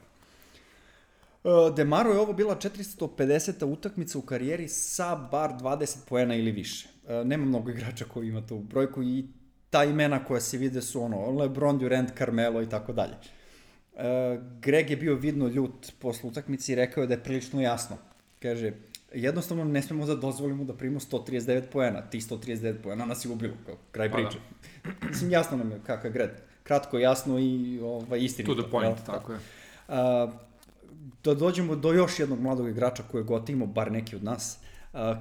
DeMaru je ovo bila 450. utakmica u karijeri sa bar 20 poena ili više. Nema mnogo igrača koji ima tu brojku i ta imena koja se vide su LeBron, Durant, Carmelo i tako dalje. Greg je bio vidno ljut posle utakmice i rekao je da je prilično jasno. Kaže, jednostavno ne smemo da dozvolimo da primimo 139 poena. Ti 139 poena nas je ubilo, kao kraj priče. Mislim, jasno nam je kakav je Greg. Kratko, jasno i istinito. To the point, tako je. Da dođemo do još jednog mladog igrača koje gotimo, bar neki od nas.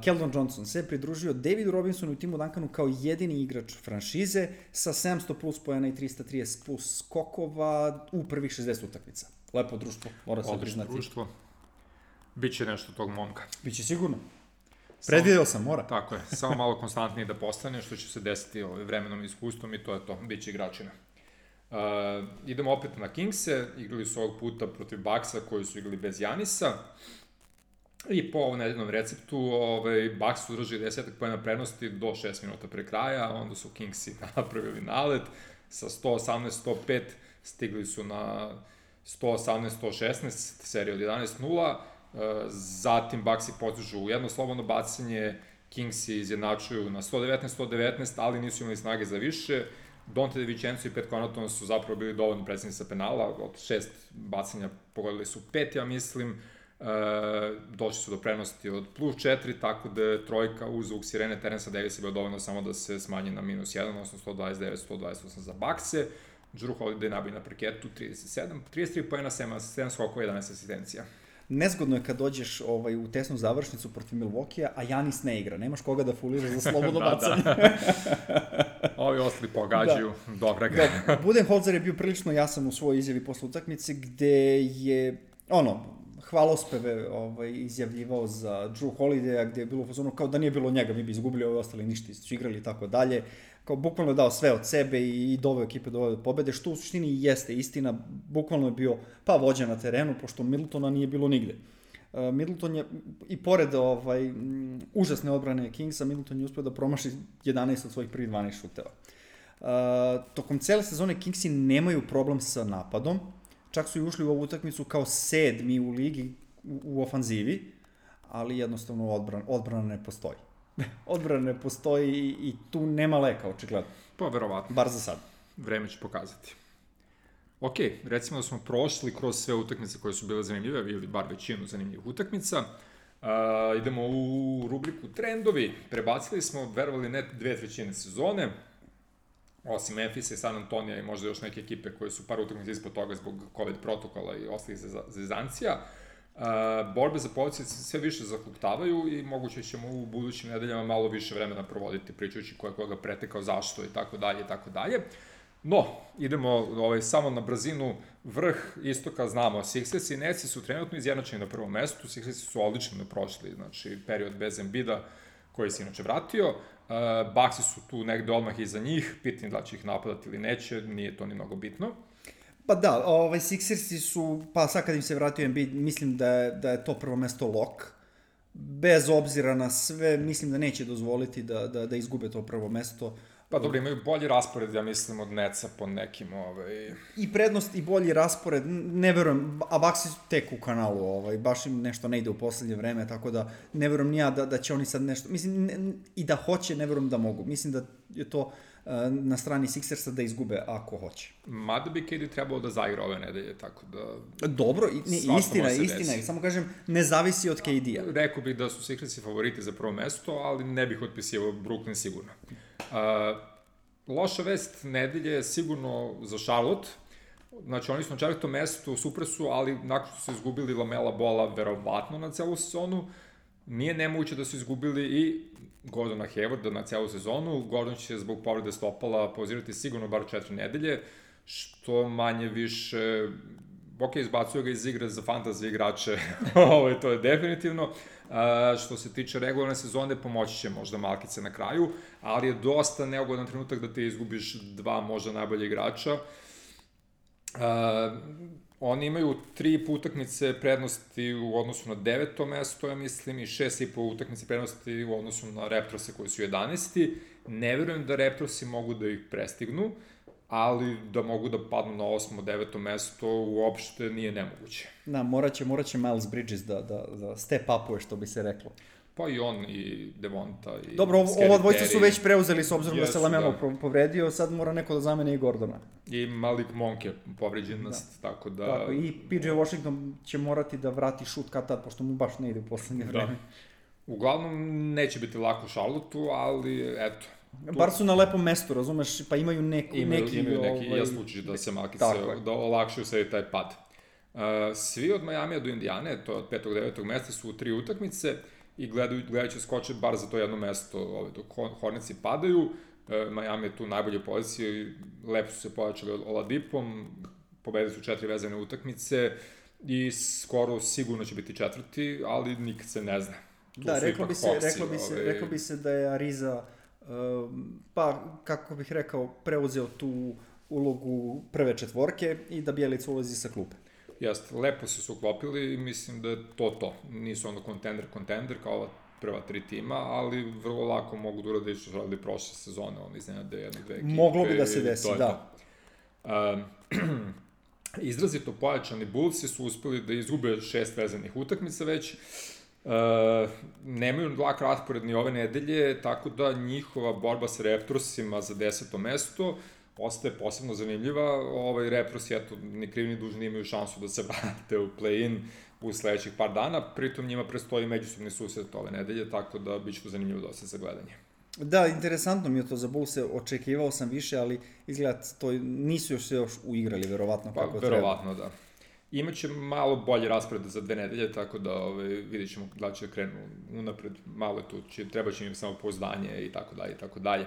Keldon Johnson se pridružio Davidu Robinsonu i Timu Duncanu kao jedini igrač franšize sa 700 plus pojena i 330 plus skokova u prvih 60 utakmica. Lepo društvo, mora se priznati. Društvo. Biće nešto tog momka. Biće sigurno. Predvideo sam, mora. Tako je, samo malo konstantniji da postane, što će se desiti vremenom i iskustvom i to je to, biće igračina. Idemo opet na Kingse, igrali su ovog puta protiv Bucksa koji su igrali bez Janisa. I po ovom nedeljnom receptu, Bucks su držali 10 pojena prednosti do 6 minuta pre kraja, onda su Kingsi napravili nalet sa 118-105, stigli su na 118-116, serija od 11-0, zatim Bucksi postižu jedno slobodno bacanje, Kingsi izjednačuju na 119-119, ali nisu imali snage za više. Donte DiVincenzo i Pat Connaughton su zapravo bili dovoljno predsjedni sa penala, od 6 bacanja pogodili su 5, ja mislim, došli su do prenosti od plus 4, tako da je trojka uz zvuk sirene Terence Davisa bio dovoljno samo da se smanji na minus 1, odnosno 129-128 za Buckse. Drew Holiday nabije na parketu 33 pojena, 7 skokova, 11 asistencija. Nezgodno je kad dođeš u tesnu završnicu protiv Milwaukee-a, a Janis ne igra. Nemaš koga da fulira za slobodno bacanje. Ovi ostali pogađaju, dobra ga. Budenholzer je bio prilično jasan u svojoj izjavi posle utakmice, gde je, hvalospeve izjavljivao za Drew Holidaya, gde je bilo u fazonu kao da nije bilo njega, mi bi izgubili, ovi ostali ništa su igrali i tako dalje. Kao bukvalno je dao sve od sebe i doveo ekipe do pobede, što u suštini jeste istina, bukvalno je bio vođa na terenu, pošto Middletona nije bilo nigde. Middleton je, i pored užasne odbrane Kingsa, Middleton je uspio da promaši 11 od svojih prvih 12 šuteva. Tokom cele sezone Kingsi nemaju problem sa napadom, čak su i ušli u ovu utakmicu kao 7. u ligi u ofanzivi, ali jednostavno odbrana ne postoji. Odbrana ne postoji i tu nema leka, očigledno. Pa, verovatno. Bar za sad. Vreme će pokazati. Ok, recimo da smo prošli kroz sve utakmice koje su bile zanimljive, ili bar većinu zanimljivih utakmica. Idemo u rubriku trendovi. Prebacili smo, verovali ne, 2/3 sezone, osim Memphisa i San Antonija i možda još neke ekipe koje su par utakmica ispod toga zbog COVID protokola i ostalih zezancija. Borbe za pozicije sve više zakljuktavaju i moguće ćemo u budućim nedeljama malo više vremena provoditi pričajući ko je koga pretekao, zašto i tako dalje i tako dalje. No, idemo samo na brzinu. Vrh istoka znamo, Sixers i Netsi su trenutno izjednačeni na prvom mestu, Sixersi su odlično prošli, znači period bez Embida koji se inače vratio. Bucksi su tu negde odmah iza njih, pitanje da će ih napadati ili neće, nije to ni mnogo bitno. Pa da, Sixersi su, pa sad kad im se vratio Embiid, mislim da je to prvo mesto lock. Bez obzira na sve, mislim da neće dozvoliti da izgube to prvo mesto. Pa dobro, imaju bolji raspored, ja mislim, od Netsa po nekim... I prednost i bolji raspored, ne verujem, a Bucksi su tek u kanalu, baš im nešto ne ide u poslednje vreme, tako da ne verujem ni ja da će oni sad nešto... Mislim, i da hoće, ne verujem da mogu. Mislim da je to na strani Sixersa da izgube ako hoće. Mada bi KD trebalo da zaigra ove nedelje, tako da... Dobro, istina, samo kažem, ne zavisi od KD-a. Rekao bih da su Sixersi favoriti za prvo mesto, ali ne bih otpisivao Brooklyn sigurno. Loša vest nedelje je sigurno za Charlotte. Znači, oni su na 4. mestu, super su, ali nakon što su izgubili Lamela Bola verovatno na celu sezonu, nije nemoguće da su izgubili i Gordona Haywarda na celu sezonu. Gordon će zbog povrede stopala pauzirati sigurno bar 4 nedelje, što manje više... Ok, izbacuju ga iz igre za fantasy igrače, to je definitivno. Što se tiče regularne sezone, pomoći će možda malkice na kraju, ali je dosta neugodan trenutak da ti izgubiš 2 možda najbolje igrača. Oni imaju 3 utakmice prednosti u odnosu na 9. mesto, ja mislim, i 6,5 utakmice prednosti u odnosu na Raptorse koji su 11. Ne verujem da Raptorsi mogu da ih prestignu, ali da mogu da padnu na 8. 9. mesto uopšte nije nemoguće. Da, morat će Miles Bridges da step upuje, što bi se reklo. Pa i on, i Devonta, i dobro, ova dvojica su već preuzeli s obzirom da se Lamelo povredio, sad mora neko da zamene i Gordona. I Malik Monk je povređen, tako da... Tako, i PJ Washington će morati da vrati šut kad tad, pošto mu baš ne ide u poslednje vreme. Uglavnom, neće biti lako Charlotteu, ali eto. Bar su na lepom mestu, razumeš, pa imaju neki... Imaju neki, ja slučaj da se malkice, da olakšaju sebi taj pad. Svi od Majamija do Indijane, to je od 5. do 9. mesta, su u 3 utakmice i gledajući skoče bar za to jedno mesto dok Hornetsi padaju. Miami je tu u najboljoj poziciji, lepo su se pojačali Oladipom, pobedili su 4 vezane utakmice i skoro sigurno će biti 4, ali nikad se ne zna. Da, reklo bi se da je Ariza, pa kako bih rekao, preuzeo tu ulogu prve četvorke i da Bjelica ulazi sa klupe. Jeste, lepo se su uklopili i mislim da je to. Nisu ono kontender kao ova prva 3 tima, ali vrlo lako mogu da urade što su radili prošle sezone, oni iznenade jednu, 2 ekipe. Moglo bi da se desi, da. Izrazito pojačani Bullsi su uspeli da izgube 6 vezanih utakmica već, nemaju lak raspored ni ove nedelje, tako da njihova borba sa Raptorsima za 10. mesto ostaje posebno zanimljiva. Raptorsi, ni krivi ni dužni imaju šansu da se vrate u play-in u sledećih par dana, pritom njima prestoji međusobni susret ove nedelje, tako da bit će to zanimljivo dosta za gledanje. Da, interesantno mi je to za Bullse, očekivao sam više, ali izgleda to nisu još se uigrali, verovatno kako treba. Verovatno, da. Imaće malo bolje raspored za 2 nedelje, tako da vidjet ćemo da će krenu unapred, malo je tu, treba će im samo pouzdanje i tako dalje, i tako dalje.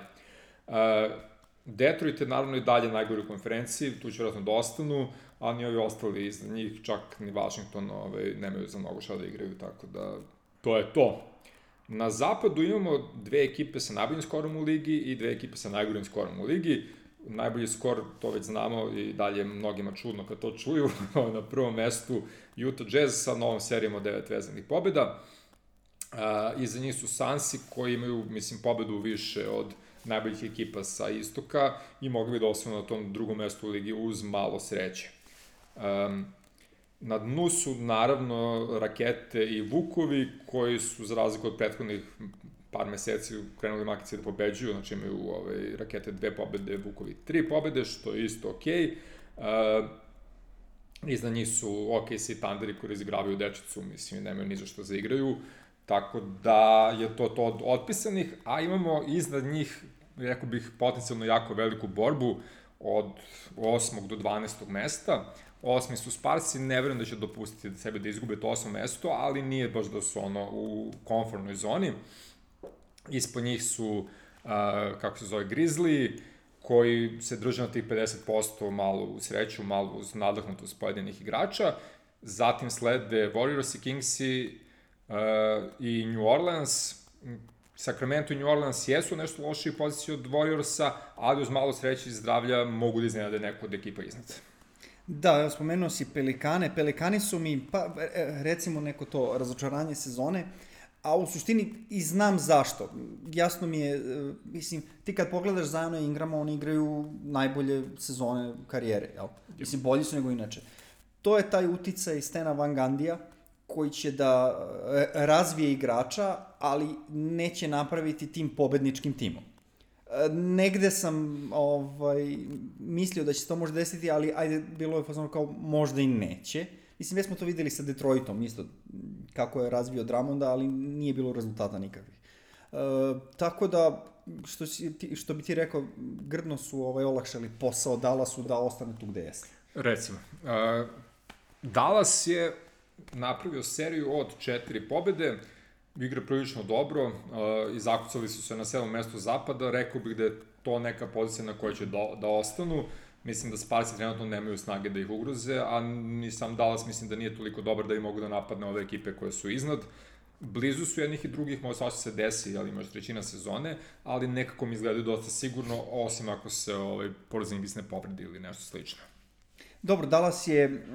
Detroit je naravno i dalje najgori u konferenciji, tu će vjerojatno da ostanu, a ni ovi ostali iza njih, čak ni Washington nemaju za mnogo šta da igraju, tako da to je to. Na zapadu imamo 2 ekipe sa najboljim skorom u ligi i 2 ekipe sa najgorim skorom u ligi. Najbolji skor, to već znamo i dalje mnogima čudno kad to čuju, na prvom mestu Utah Jazz sa novom serijom od 9 vezanih pobjeda. Iza njih su Sunsi koji imaju, pobedu više od najboljih ekipa sa istoka i mogli bi da osvanu na tom drugom mestu u ligi uz malo sreće. Na dnu su naravno Rakete i Vukovi koji su za razliku od prethodnih par meseci krenuli makice da pobeđuju, znači imaju Rakete 2 pobede, Vukovi 3 pobede, što je isto okej. Iznad njih su OKC Thunderi koji izigravaju dečicu, nemaju ni za što za igraju, tako da je to od otpisanih, a imamo iznad njih, rekao bih, potencijalno jako veliku borbu od 8. do 12. mesta. 8. su Sparsi, ne verujem da će dopustiti sebe da izgube to 8. mesto, ali nije baš da su u komfortnoj zoni. Ispod njih su, Grizzly, koji se drže na tih 50%, malo u sreću, malo uz nadahnutost pojedinih igrača. Zatim slede Warriors i Kingsi i New Orleans. Sacramento i New Orleans jesu nešto lošiji poziciji od Warriorsa, ali uz malo sreće i zdravlja mogu da iznenade neko od ekipa iznad. Da, evo spomenuo si Pelikane. Pelikani su mi, recimo neko to razočaranje sezone, a u suštini i znam zašto. Jasno mi je, ti kad pogledaš Ziona i Ingrama, oni igraju najbolje sezone karijere, jel? Bolji su nego inače. To je taj uticaj Stena Van Gandija, koji će da razvije igrača, ali neće napraviti tim pobedničkim timom. Negde sam mislio da će se to možda desiti, ali ajde, bilo je fazono kao možda i neće. Već smo to videli sa Detroitom, isto kako je razvio Drummonda, ali nije bilo rezultata nikakvih. Tako da, što bi ti rekao, grdno su olakšali posao Dallasu da ostane tu gde jeste. Recimo, Dallas je napravio seriju od 4 pobede, igra prilično dobro, i zakucali su se na 7. mestu zapada, rekao bih da je to neka pozicija na kojoj će da ostanu. Mislim da Sparsi trenutno nemaju snage da ih ugroze, a ni sam Dallas mislim da nije toliko dobar da i mogu da napadne ove ekipe koje su iznad. Blizu su jednih i drugih, možda svašta se desi, ali možda trećina sezone, ali nekako mi izgledaju dosta sigurno, osim ako se Porzingis ne povredi ili nešto slično. Dobro, Dallas je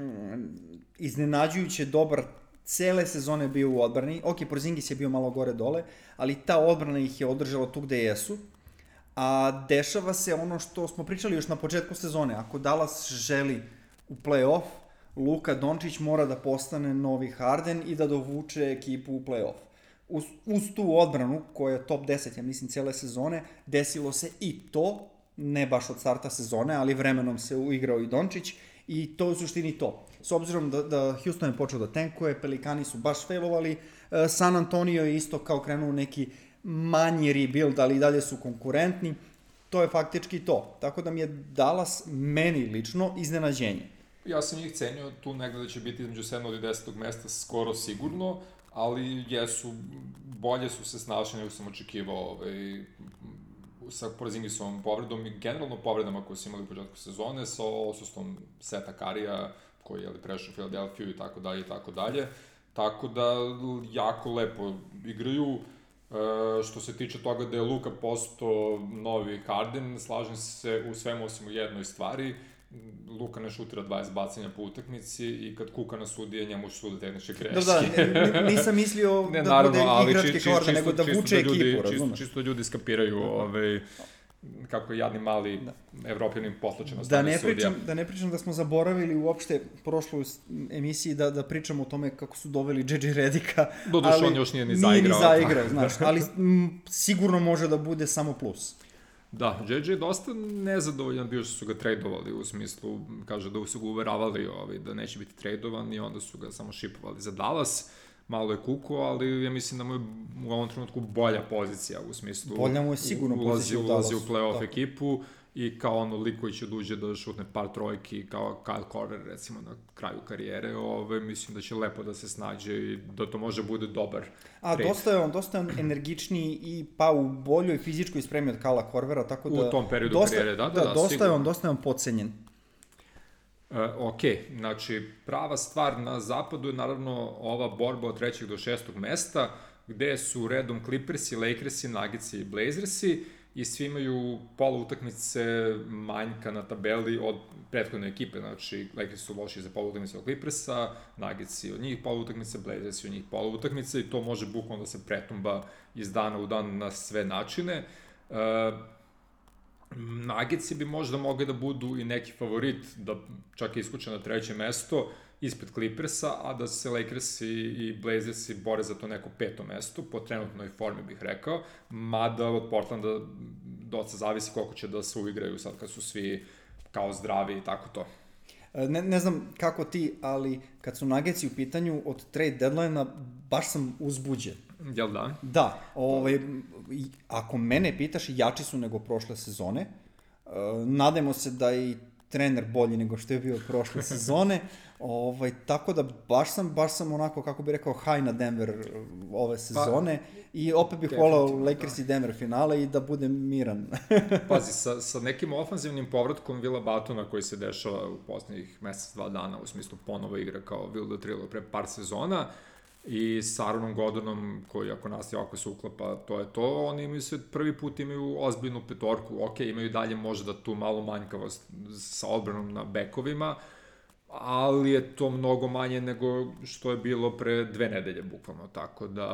iznenađujuće dobar, cele sezone bio u odbrani. Ok, Porzingis je bio malo gore dole, ali ta odbrana ih je održala tu gde jesu. A dešava se ono što smo pričali još na početku sezone. Ako Dallas želi u play-off, Luka Dončić mora da postane novi Harden i da dovuče ekipu u play-off. Uz tu odbranu, koja je top 10, ja mislim, cele sezone, desilo se i to, ne baš od starta sezone, ali vremenom se uigrao i Dončić i to je u suštini to. S obzirom da Houston je počeo da tankuje, Pelikani su baš failovali, San Antonio je isto kao krenuo neki manji rebuild, ali i dalje su konkurentni, to je faktički to. Tako da mi je Dallas, meni lično, iznenađenje. Ja sam njih cenio tu negde da će biti između 7. i 10. mesta skoro sigurno, ali bolje su se snašli nego sam očekivao sa Porzingisovom povredom i generalno povredama koje su imali u početku sezone, sa odsustvom Seta Karija, koji je prešao u Filadelfiju i tako dalje i tako dalje. Tako da, jako lepo igraju. Što se tiče toga da je Luka postao novi Harden, slažem se u svemu osim u jednoj stvari. Luka ne šutira 20 bacanja po utakmici i kad kuka na sudije, njemu sude tehničke greške. Da, nisam mislio da bude igrački Harden, nego da vuče ekipu, razumeš? Čisto ljudi skapiraju kako je jadni mali evropljanin potlačen na strane sudija. Da ne pričam da smo zaboravili uopšte prošloj emisiji da pričamo o tome kako su doveli JJ Redika. Doduše, on još nije ni zaigrao. Nije ni zaigrao, znaš, ali sigurno može da bude samo plus. Da, JJ je dosta nezadovoljan bio što su ga tradovali, u smislu, kaže da su ga uveravali da neće biti tradovan i onda su ga samo šipovali za Dallas. Malo je kuko, ali ja mislim da mu je u ovom trenutku bolja pozicija, u smislu... Bolja mu je sigurno pozicija u Dallasu. Ulazi u play-off ekipu i kao ono lik koji će duže da šutne par trojki, kao Kyle Korver, recimo, na kraju karijere, mislim da će lepo da se snađe i da to može bude dobar trade. Dosta je on energičniji i u boljoj fizičkoj spremi od Kyla Korvera, tako da... U tom periodu karijere, da, dosta je on podcenjen. Ok, znači prava stvar na zapadu je naravno ova borba od 3. do 6. mesta, gde su redom Clippersi, Lakersi, Nuggetsi i Blazersi i svi imaju pola utakmice manjka na tabeli od prethodne ekipe, znači Lakersi su loši za pola utakmice od Clippersa, Nuggetsi od njih pola utakmice, Blazersi od njih pola utakmice i to može bukvalno da se pretumba iz dana u dan na sve načine. Nuggetsi bi možda mogli da budu i neki favorit, da čak iskuče na 3. mesto ispred Clippersa, a da se Lakersi i Blazersi bore za to neko 5. mesto, po trenutnoj formi bih rekao, mada od Portlanda dosta zavisi koliko će da se uigraju sad kad su svi kao zdravi i tako to. Ne znam kako ti, ali kad su Nuggetsi u pitanju od trade deadline-a, baš sam uzbuđen. Jel da? Da, ako mene pitaš, jači su nego prošle sezone. Nadajmo se da i trener bolji nego što je bio prošle sezone. Tako da baš sam onako, kako bih rekao, high na Denver ove sezone i opet bih volao Lakers i Denver finale i da budem miran. Pazi, sa nekim ofanzivnim povratkom Willa Buttona koji se dešava u poslednjih mesec, 2 dana, u smislu ponovo igra kao Will the Thriller pre par sezona, i sa Aaronom Gordonom, koji ako nastaje ovako se uklapa, to je to, oni imaju prvi put imaju ozbiljnu petorku, ok, imaju dalje možda tu malo manjkavost sa odbranom na bekovima, ali je to mnogo manje nego što je bilo pre 2 nedelje, bukvalno, tako da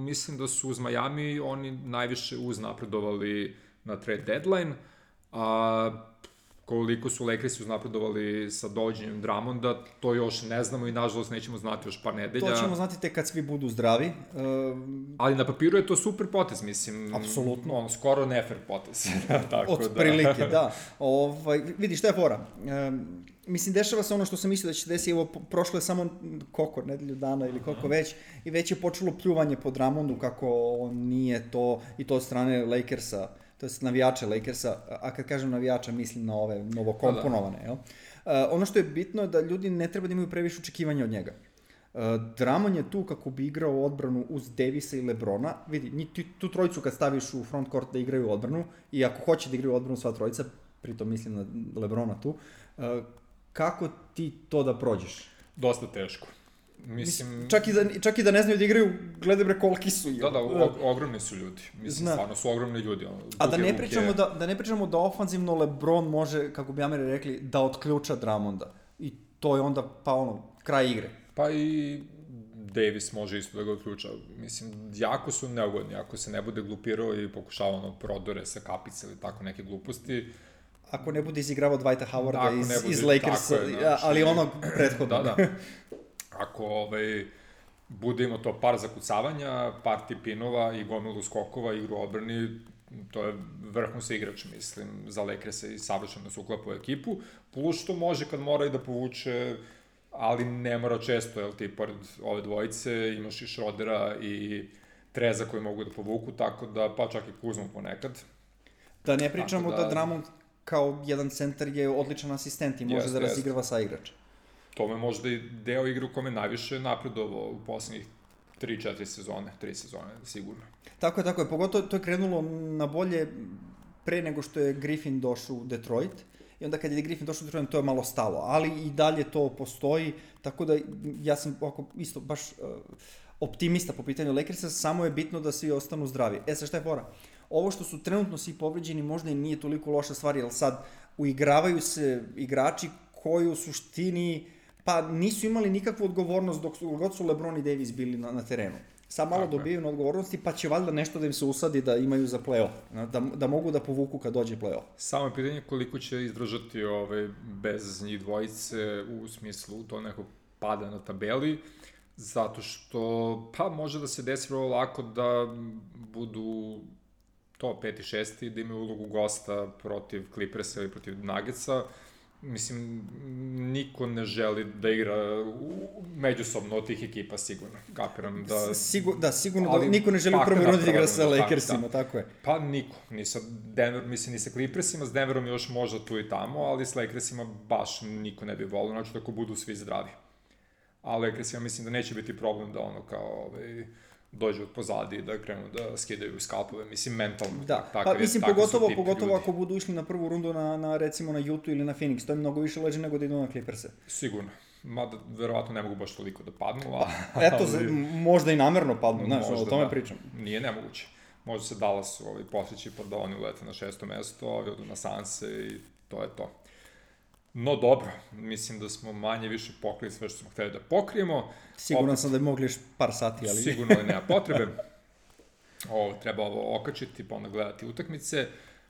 mislim da su uz Miami oni najviše uznapredovali na trade deadline, a koliko su Lakersi uznapredovali sa dođenjem Drummonda, to još ne znamo i nažalost nećemo znati još par nedelja. To ćemo znati tek kad svi budu zdravi. Ali na papiru je to super potez, mislim. Apsolutno. Skoro nefer potez. Od prilike, da. Vidi, šta je fora? Mislim, dešava se ono što sam mislio da će se desiti, prošlo je samo nedelju dana ili koliko već, i već je počelo pljuvanje po Drummondu kako on nije to, i to od strane Lakersa, to je navijača Lakersa, a kad kažem navijača mislim na ove novokomponovane, jel? Ono što je bitno je da ljudi ne treba da imaju previše očekivanja od njega. Drummond je tu kako bi igrao odbranu uz Davisa i Lebrona. Vidi, tu trojicu kad staviš u front court da igraju odbranu, i ako hoće da igraju odbranu sva trojica, pritom mislim na Lebrona tu, kako ti to da prođeš? Dosta teško. Mislim... Čak i da ne znaju da igraju, gledaj bre koliki su. Da, ogromni su ljudi. Mislim, stvarno su ogromni ljudi. A da ne pričamo da ofanzivno LeBron može, kako bi Ameri rekli, da otključa Drummonda. I to je onda, kraj igre. Pa i Davis može isto da ga otključa. Mislim, jako su neugodni. Ako se ne bude glupirao i pokušavao prodore sa kapice ili tako neke gluposti. Ako ne bude izigravao Dwighta Howarda iz Lakersa, ali onog prethodnog. Da. Ako bude imao to par zakucavanja, par tipinova i gomilu skokova, igru odbrani, to je vrhunski igrač, mislim, za Lakersa i savršeno se uklapa u ekipu, plus što može kad mora i da povuče, ali ne mora često, jel ti, pored ove dvojice imaš i Schrodera i Treza koji mogu da povuku, tako da, pa čak i Kuzmu ponekad. Da ne pričamo da Drummond kao jedan centar je odličan asistent i može da razigrava sa igrača. To me možda i deo igre u kome najviše napredovao u poslednjih 3 sezone, sigurno. Tako je, pogotovo to je krenulo na bolje pre nego što je Griffin došao u Detroit, i onda kad je Griffin došao u Detroit, to je malo stalo, ali i dalje to postoji, tako da ja sam isto baš optimista po pitanju Lakersa, samo je bitno da svi ostanu zdravi. Sad šta je fora? Ovo što su trenutno svi povređeni možda i nije toliko loša stvar, jer sad uigravaju se igrači koji u suštini pa nisu imali nikakvu odgovornost dok god su LeBron i Davis bili na terenu. Sad malo dobijaju na odgovornosti, pa će valjda nešto da im se usadi da imaju za play-off, da mogu da povuku kad dođe play-off. Samo je pitanje koliko će izdržati bez njih dvojice u smislu to nekog pada na tabeli, zato što pa može da se desi vrlo lako da budu to 5. i 6. da imaju ulogu gosta protiv Clippersa ili protiv Nuggetsa. Mislim, niko ne želi da igra međusobno od tih ekipa, sigurno. Kapiram da... Sigurno da niko ne želi u prvoj rundi da igra sa Lakersima, tako je. Pa niko. Ni sa Clippersima, s Denverom još možda tu i tamo, ali s Lakersima baš niko ne bi volio, znači tako budu svi zdravi. A Lakersima mislim da neće biti problem da dođu od pozadi i da krenu da skidaju skalpove, mislim, mentalno. Da, pa mislim, pogotovo ako budu išli na prvu rundu recimo na Utah ili na Phoenix, to je mnogo više leđe nego da idu na Clipperse. Sigurno. Mada, verovatno ne mogu baš toliko da padnu, Eto, možda i namerno padnu, znaš, o tome pričam. Nije nemoguće. Možda se Dallasu posjeći pa da oni ulete na 6. mesto, ovi odu na Sanse i to je to. No dobro, mislim da smo manje više pokrili sve što smo hteli da pokrijemo. Siguran sam da bi mogli još par sati, ali... Sigurno da nema potrebe. Treba ovo okačiti, pa onda gledati utakmice.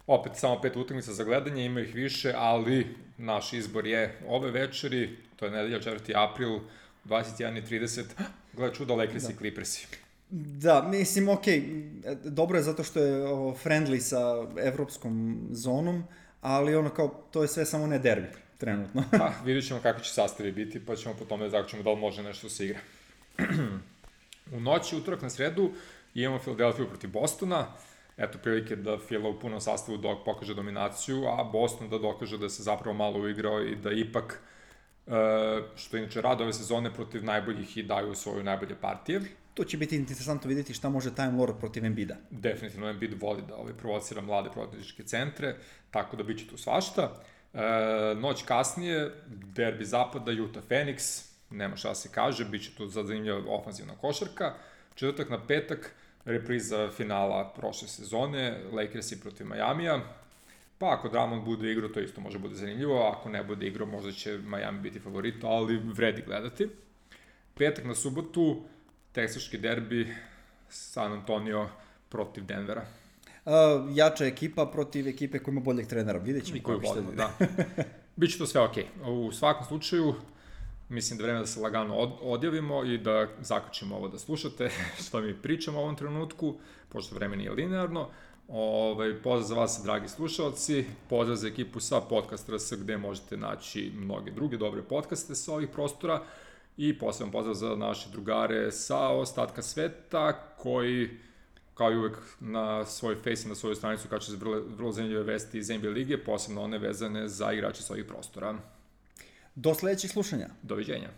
Opet, samo 5 utakmica za gledanje, ima ih više, ali naš izbor je ove večeri, to je nedelja 4. april, 21:30, gleda čuda, Lakers i Clippersi. Da, mislim, dobro je zato što je friendly sa evropskom zonom, ali to je sve samo ne derbi, trenutno. Pa, vidjet ćemo kako će sastavi biti, pa ćemo po tome zaključimo da li može nešto se igra. U noći, utorak na sredu, imamo Philadelphia protiv Bostona. Eto, prilike da Phila u punom sastavu pokaže dominaciju, a Boston da dokaže da se zapravo malo uigrao i da ipak, što inače rade ove sezone, protiv najboljih i daju svoje najbolje partije. To će biti interesantno vidjeti šta može Time Lord protiv Embida. Definitivno Embiid voli da provocira mlade protivničke centre, tako da bit će tu svašta. Noć kasnije, derbi zapada, Utah Phoenix, nema šta se kaže, bit će tu zanimljiva ofanzivna košarka. Četvrtak na petak, repriza finala prošle sezone, Lakersi protiv Majamija. Pa ako Drummond bude igrao, to isto može bude zanimljivo, ako ne bude igrao, možda će Miami biti favorit, ali vredi gledati. Petak na subotu, teksaški derbi, San Antonio protiv Denvera. Jača ekipa protiv ekipe koja ima boljeg trenera, vidjet ćemo koji će da. Biće to sve okej. U svakom slučaju, mislim da je vreme da se lagano odjavimo i da zaključimo ovo da slušate što mi pričamo u ovom trenutku, pošto vreme nije linearno. Pozdrav za vas, dragi slušalci, pozdrav za ekipu sa Podcast RS, gde možete naći mnoge druge dobre podcaste sa ovih prostora, i poseban pozdrav za naše drugare sa ostatka sveta, koji, kao i uvek, na svoj face i na svoju stranicu kače se vrlo zanimljive vesti iz NBA lige, posebno one vezane za igrače sa ovih prostora. Do sledećih slušanja. Doviđenja.